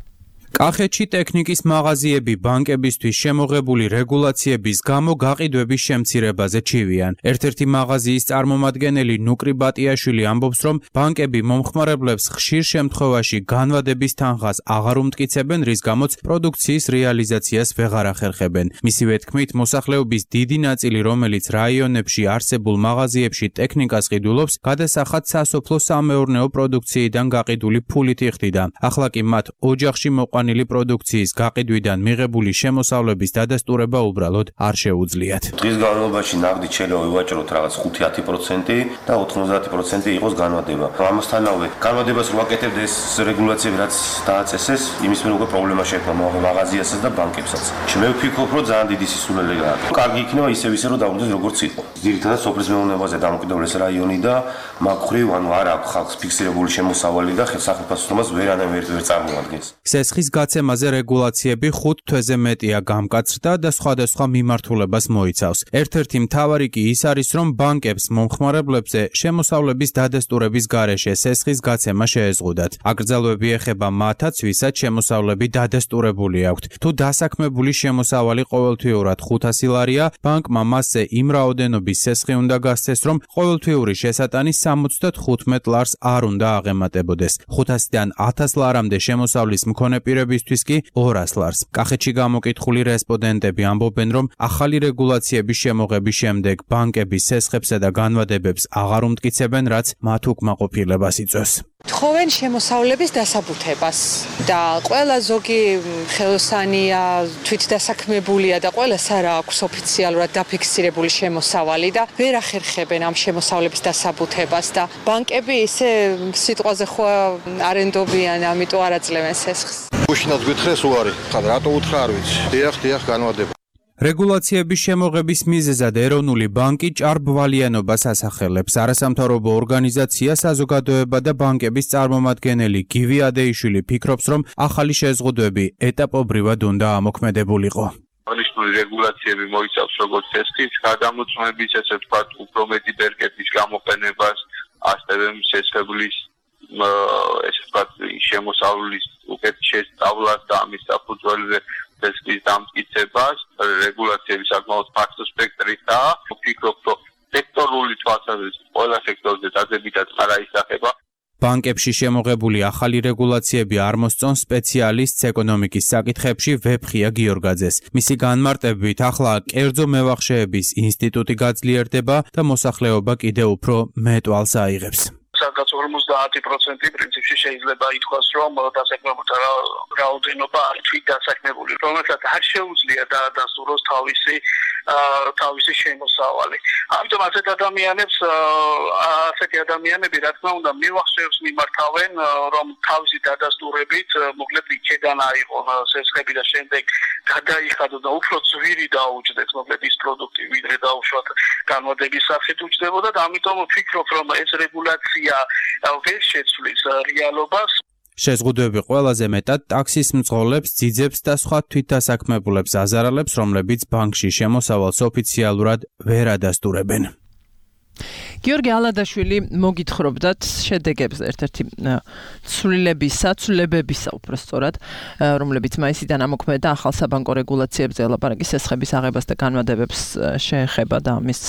კახეთში ტექნიკის მაღაზიები ბანკებისთვის შემოღებული რეგულაციების გამო გაყიდვების შემცირებაზე ჩივიან. ერთ-ერთი მაღაზიის წარმომადგენელი ნუკრი ბატიაშვილი ამბობს, რომ ბანკები მომხმარებლებს ხშირ შემთხვევაში განვადების თანხას აღარ უმტკიცებენ, რის გამოც პროდუქციის რეალიზაციას ვეღარ ახერხებენ. მისივე თქმით, მოსახლეობის დიდი ნაწილი, რომელიც რაიონებში არსებულ მაღაზიებში ტექნიკას ყიდულობს, გადასახად სასოფლო-სამეურნეო პროდუქციიდან გაყიდული ფულით იხდიდა. ახლა კი მათ ოჯახში მოყვანილი პროდუქციის გაყიდვიდან მიღებული შემოსავლების დადასტურება უბრალოდ არ შეუძლიათ. დღის განმავლობაში ნაღდით შეიძლება ვივაჭროთ რაღაც ხუთი ათი პროცენტი და ოთხმოცდაათი პროცენტი იყოს განმადება. ამასთანავე განმადებას რო ვაკეთებთ ეს რეგულაციები რაც დააწესეს, იმის მიერ უკვე პრობლემა შეექმნა მაღაზიასაც და ბანკებსაც. მე ვფიქრობ, რომ ძალიან დიდი სისულელე გააკეთა. კარგი იქნება ისევ ისე რომ დაუდგეს როგორც იყო. ძირითადად სოფლის მეურნეობაზე დამოკიდებული ეს რაიონი და მაგხრივ ანუ არ აქვს ხალხს ფიქსირებული შემოსავალი და სახელმწიფოს ვერანაირ ვერ წარმოადგენს. სესხის გაცემაზე რეგულაციები ხუთ თვეზე მეტია გამკაცრდა და სხვადასხვა მიმართულებას მოიცავს. ერთ-ერთი მთავარი კი ის არის, რომ ბანკებს მომხმარებლებზე შემოსავლების დადასტურების გარეშე სესხის გაცემა შეეზღუდათ. აკრძალვები ეხება მათაც, ვისაც შემოსავლები დადასტურებული აქვთ. თუ დასაქმებული შემოსავალი ყოველთვიურად ხუთასი ლარია, ბანკმა მასზე იმ რაოდენობის სესხი უნდა გასცეს, რომ ყოველთვიური შესატანი სამოცდათხუთმეტ ლარს არ უნდა აღემატებოდეს. ხუთასიდან ათას ლარამდე შემოსავლის მქონე პირებისთვის კი ორას ლარს. კახეთში გამოკითხული რესპონდენტები ამბობენ, რომ ახალი რეგულაციების შემოღების შემდეგ ბანკები სესხებსა და განვადებებს აღარ უმტკიცებენ, რაც მათ უკმაყოფილებას იწვევს. თხოვენ შემოსავლების დასაბუთებას და ყველა ზოგი ხელოსანია, თვითდასაქმებულია და ყველას არ აქვს ოფიციალურად დაფიქსირებული შემოსავალი და ვერ ახერხებენ ამ შემოსავლების დასაბუთებას და ბანკები ისე სიტყვაზე ხო არენდობიან, ამიტომ არ აძლევენ სესხს. უშინაც გითხრეს უარი, ხარ რატო უთხრა არ ვიცი. დიახ, დიახ, განვადება. რეგულაციების შემოღების მიზეზად ეროვნული ბანკი ჭარბვალიანობას ასახელებს. არასამთავრობო ორგანიზაცია საზოგადოება და ბანკების წარმომადგენელი გივი ადეიშვილი ფიქრობს, რომ ახალი შეზღუდვები ეტაპობრივად უნდა ამოქმედებულიყო. აღნიშნული რეგულაციები მოიცავს როგორც სესხის გადამოწმების, ესე ვთქვათ, უფრო მეტი ბერკეტის გამოყენებას, ასევე სესხებლის ესე ვთქვათ, შემოსავლის უკეთ შესწავლას და ამის საფუძველზე სესხის დამტკიცებას. რეგულაციები საკმაოდ ფართო სპექტრისაა. ვფიქრობ, რომ სექტორული თვალსაზრისით ყველა სექტორზე დადებითად არ აისახება. ბანკებში შემოღებული ახალი რეგულაციები არ მოსწონს სპეციალისტს ეკონომიკის საკითხებში ვეფხია გიორგაძეს. მისი განმარტებით, ახლა კერძო მევახშეების ინსტიტუტი გაძლიერდება და მოსახლეობა კიდევ უფრო მეტვალს აიღებს. სადაც ორმოცდაათი პროცენტი პრინციპში შეიძლება ითქვას, რომ დასაქმებულთა რაოდენობა არის თვით დასაქმებული, რომელსაც არ შეუძლია დაადასტუროს თავისი თავისი შემოსავალი. ამიტომ ასეთ ადამიანებს ასეთი ადამიანები რა თქმა უნდა მივახშევს მიმართავენ, რომ თავისი დადასტურებით მოკლედ იქედან აიღონ სესხები და შემდეგ გადაიხადო და უფრო ძვირი დაუჯდეს მოკლედ ის პროდუქტი, ვიდრე დაუშვათ განმადების სახით უჯდებოდა და ამიტომ ვფიქრობ, რომ ეს რეგულაცია ვერ შეცვლის რეალობას. შეზღუდვები ყველაზე მეტად ტაქსის მძღოლებს, ძიძებს და სხვა თვითდასაქმებულებს აზარალებს, რომლებიც ბანკში შემოსავალს ოფიციალურად ვერ ადასტურებენ. გიორგი ალადაშვილი მოგითხრობდათ შედეგებზე ერთ-ერთი ცვლილებისა, ცვლილებებისა უბრალოდ, რომლებიც მაისიდან ამოქმედა ახალ საბანკო რეგულაციებზე ელაპარაკის სესხების აღებას და განმადებებს შეეხება და ამის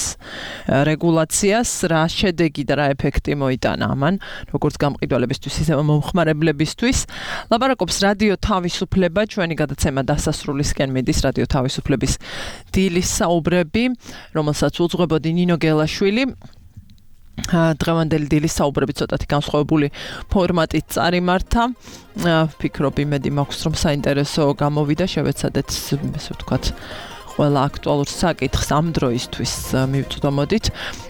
რეგულაციას, რა შედეგი და რა ეფექტი მოიტანა ამან, როგორც გამყიდველებისთვის, ისე მომხმარებლებისთვის. ლაპარაკობს რადიო თავისუფლება, ჩვენი გადაცემა დასასრულისკენ მიდის რადიო თავისუფლების დილის საუბრები, რომელსაც უძღვებოდი ნინო გელაშვილი. დღევანდელი დილის საუბრები ცოტათი განსხვავებული ფორმატით წარიმართა. ვფიქრობ, იმედი მაქვს, რომ საინტერესო გამოვიდა, შევეცადეთ, ესე ვთქვათ, ყველა აქტუალურ საკითხს ამ დროისთვის მივწვდომოდით.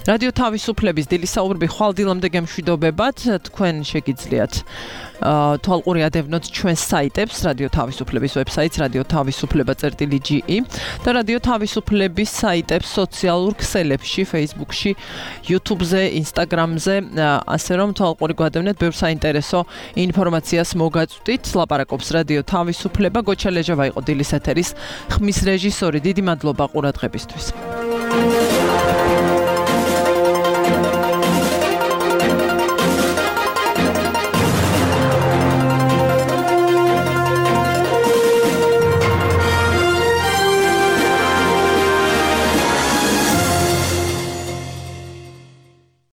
რადიო თავისუფლების დილის საუბრები ხვალ დილამდე გემშვიდობებად, თქვენ შეგიძლიათ თვალყური ადევნოთ ჩვენს საიტებს, რადიო თავისუფლების ვებსაიტს რადიო თავისუფლება წერტილი ჯი ი და რადიო თავისუფლების საიტებს სოციალურ ქსელებში, Facebook-ში, YouTube-ზე, Instagram-ზე, ასე რომ თვალყური გვადევნეთ, ბევრ საინტერესო ინფორმაციას მოგაწვდით. ლაპარაკობს რადიო თავისუფლება, გოჩა ლეჟავა იყო დილის ეთერის ხმის რეჟისორი. დიდი მადლობა ყურადღებისთვის.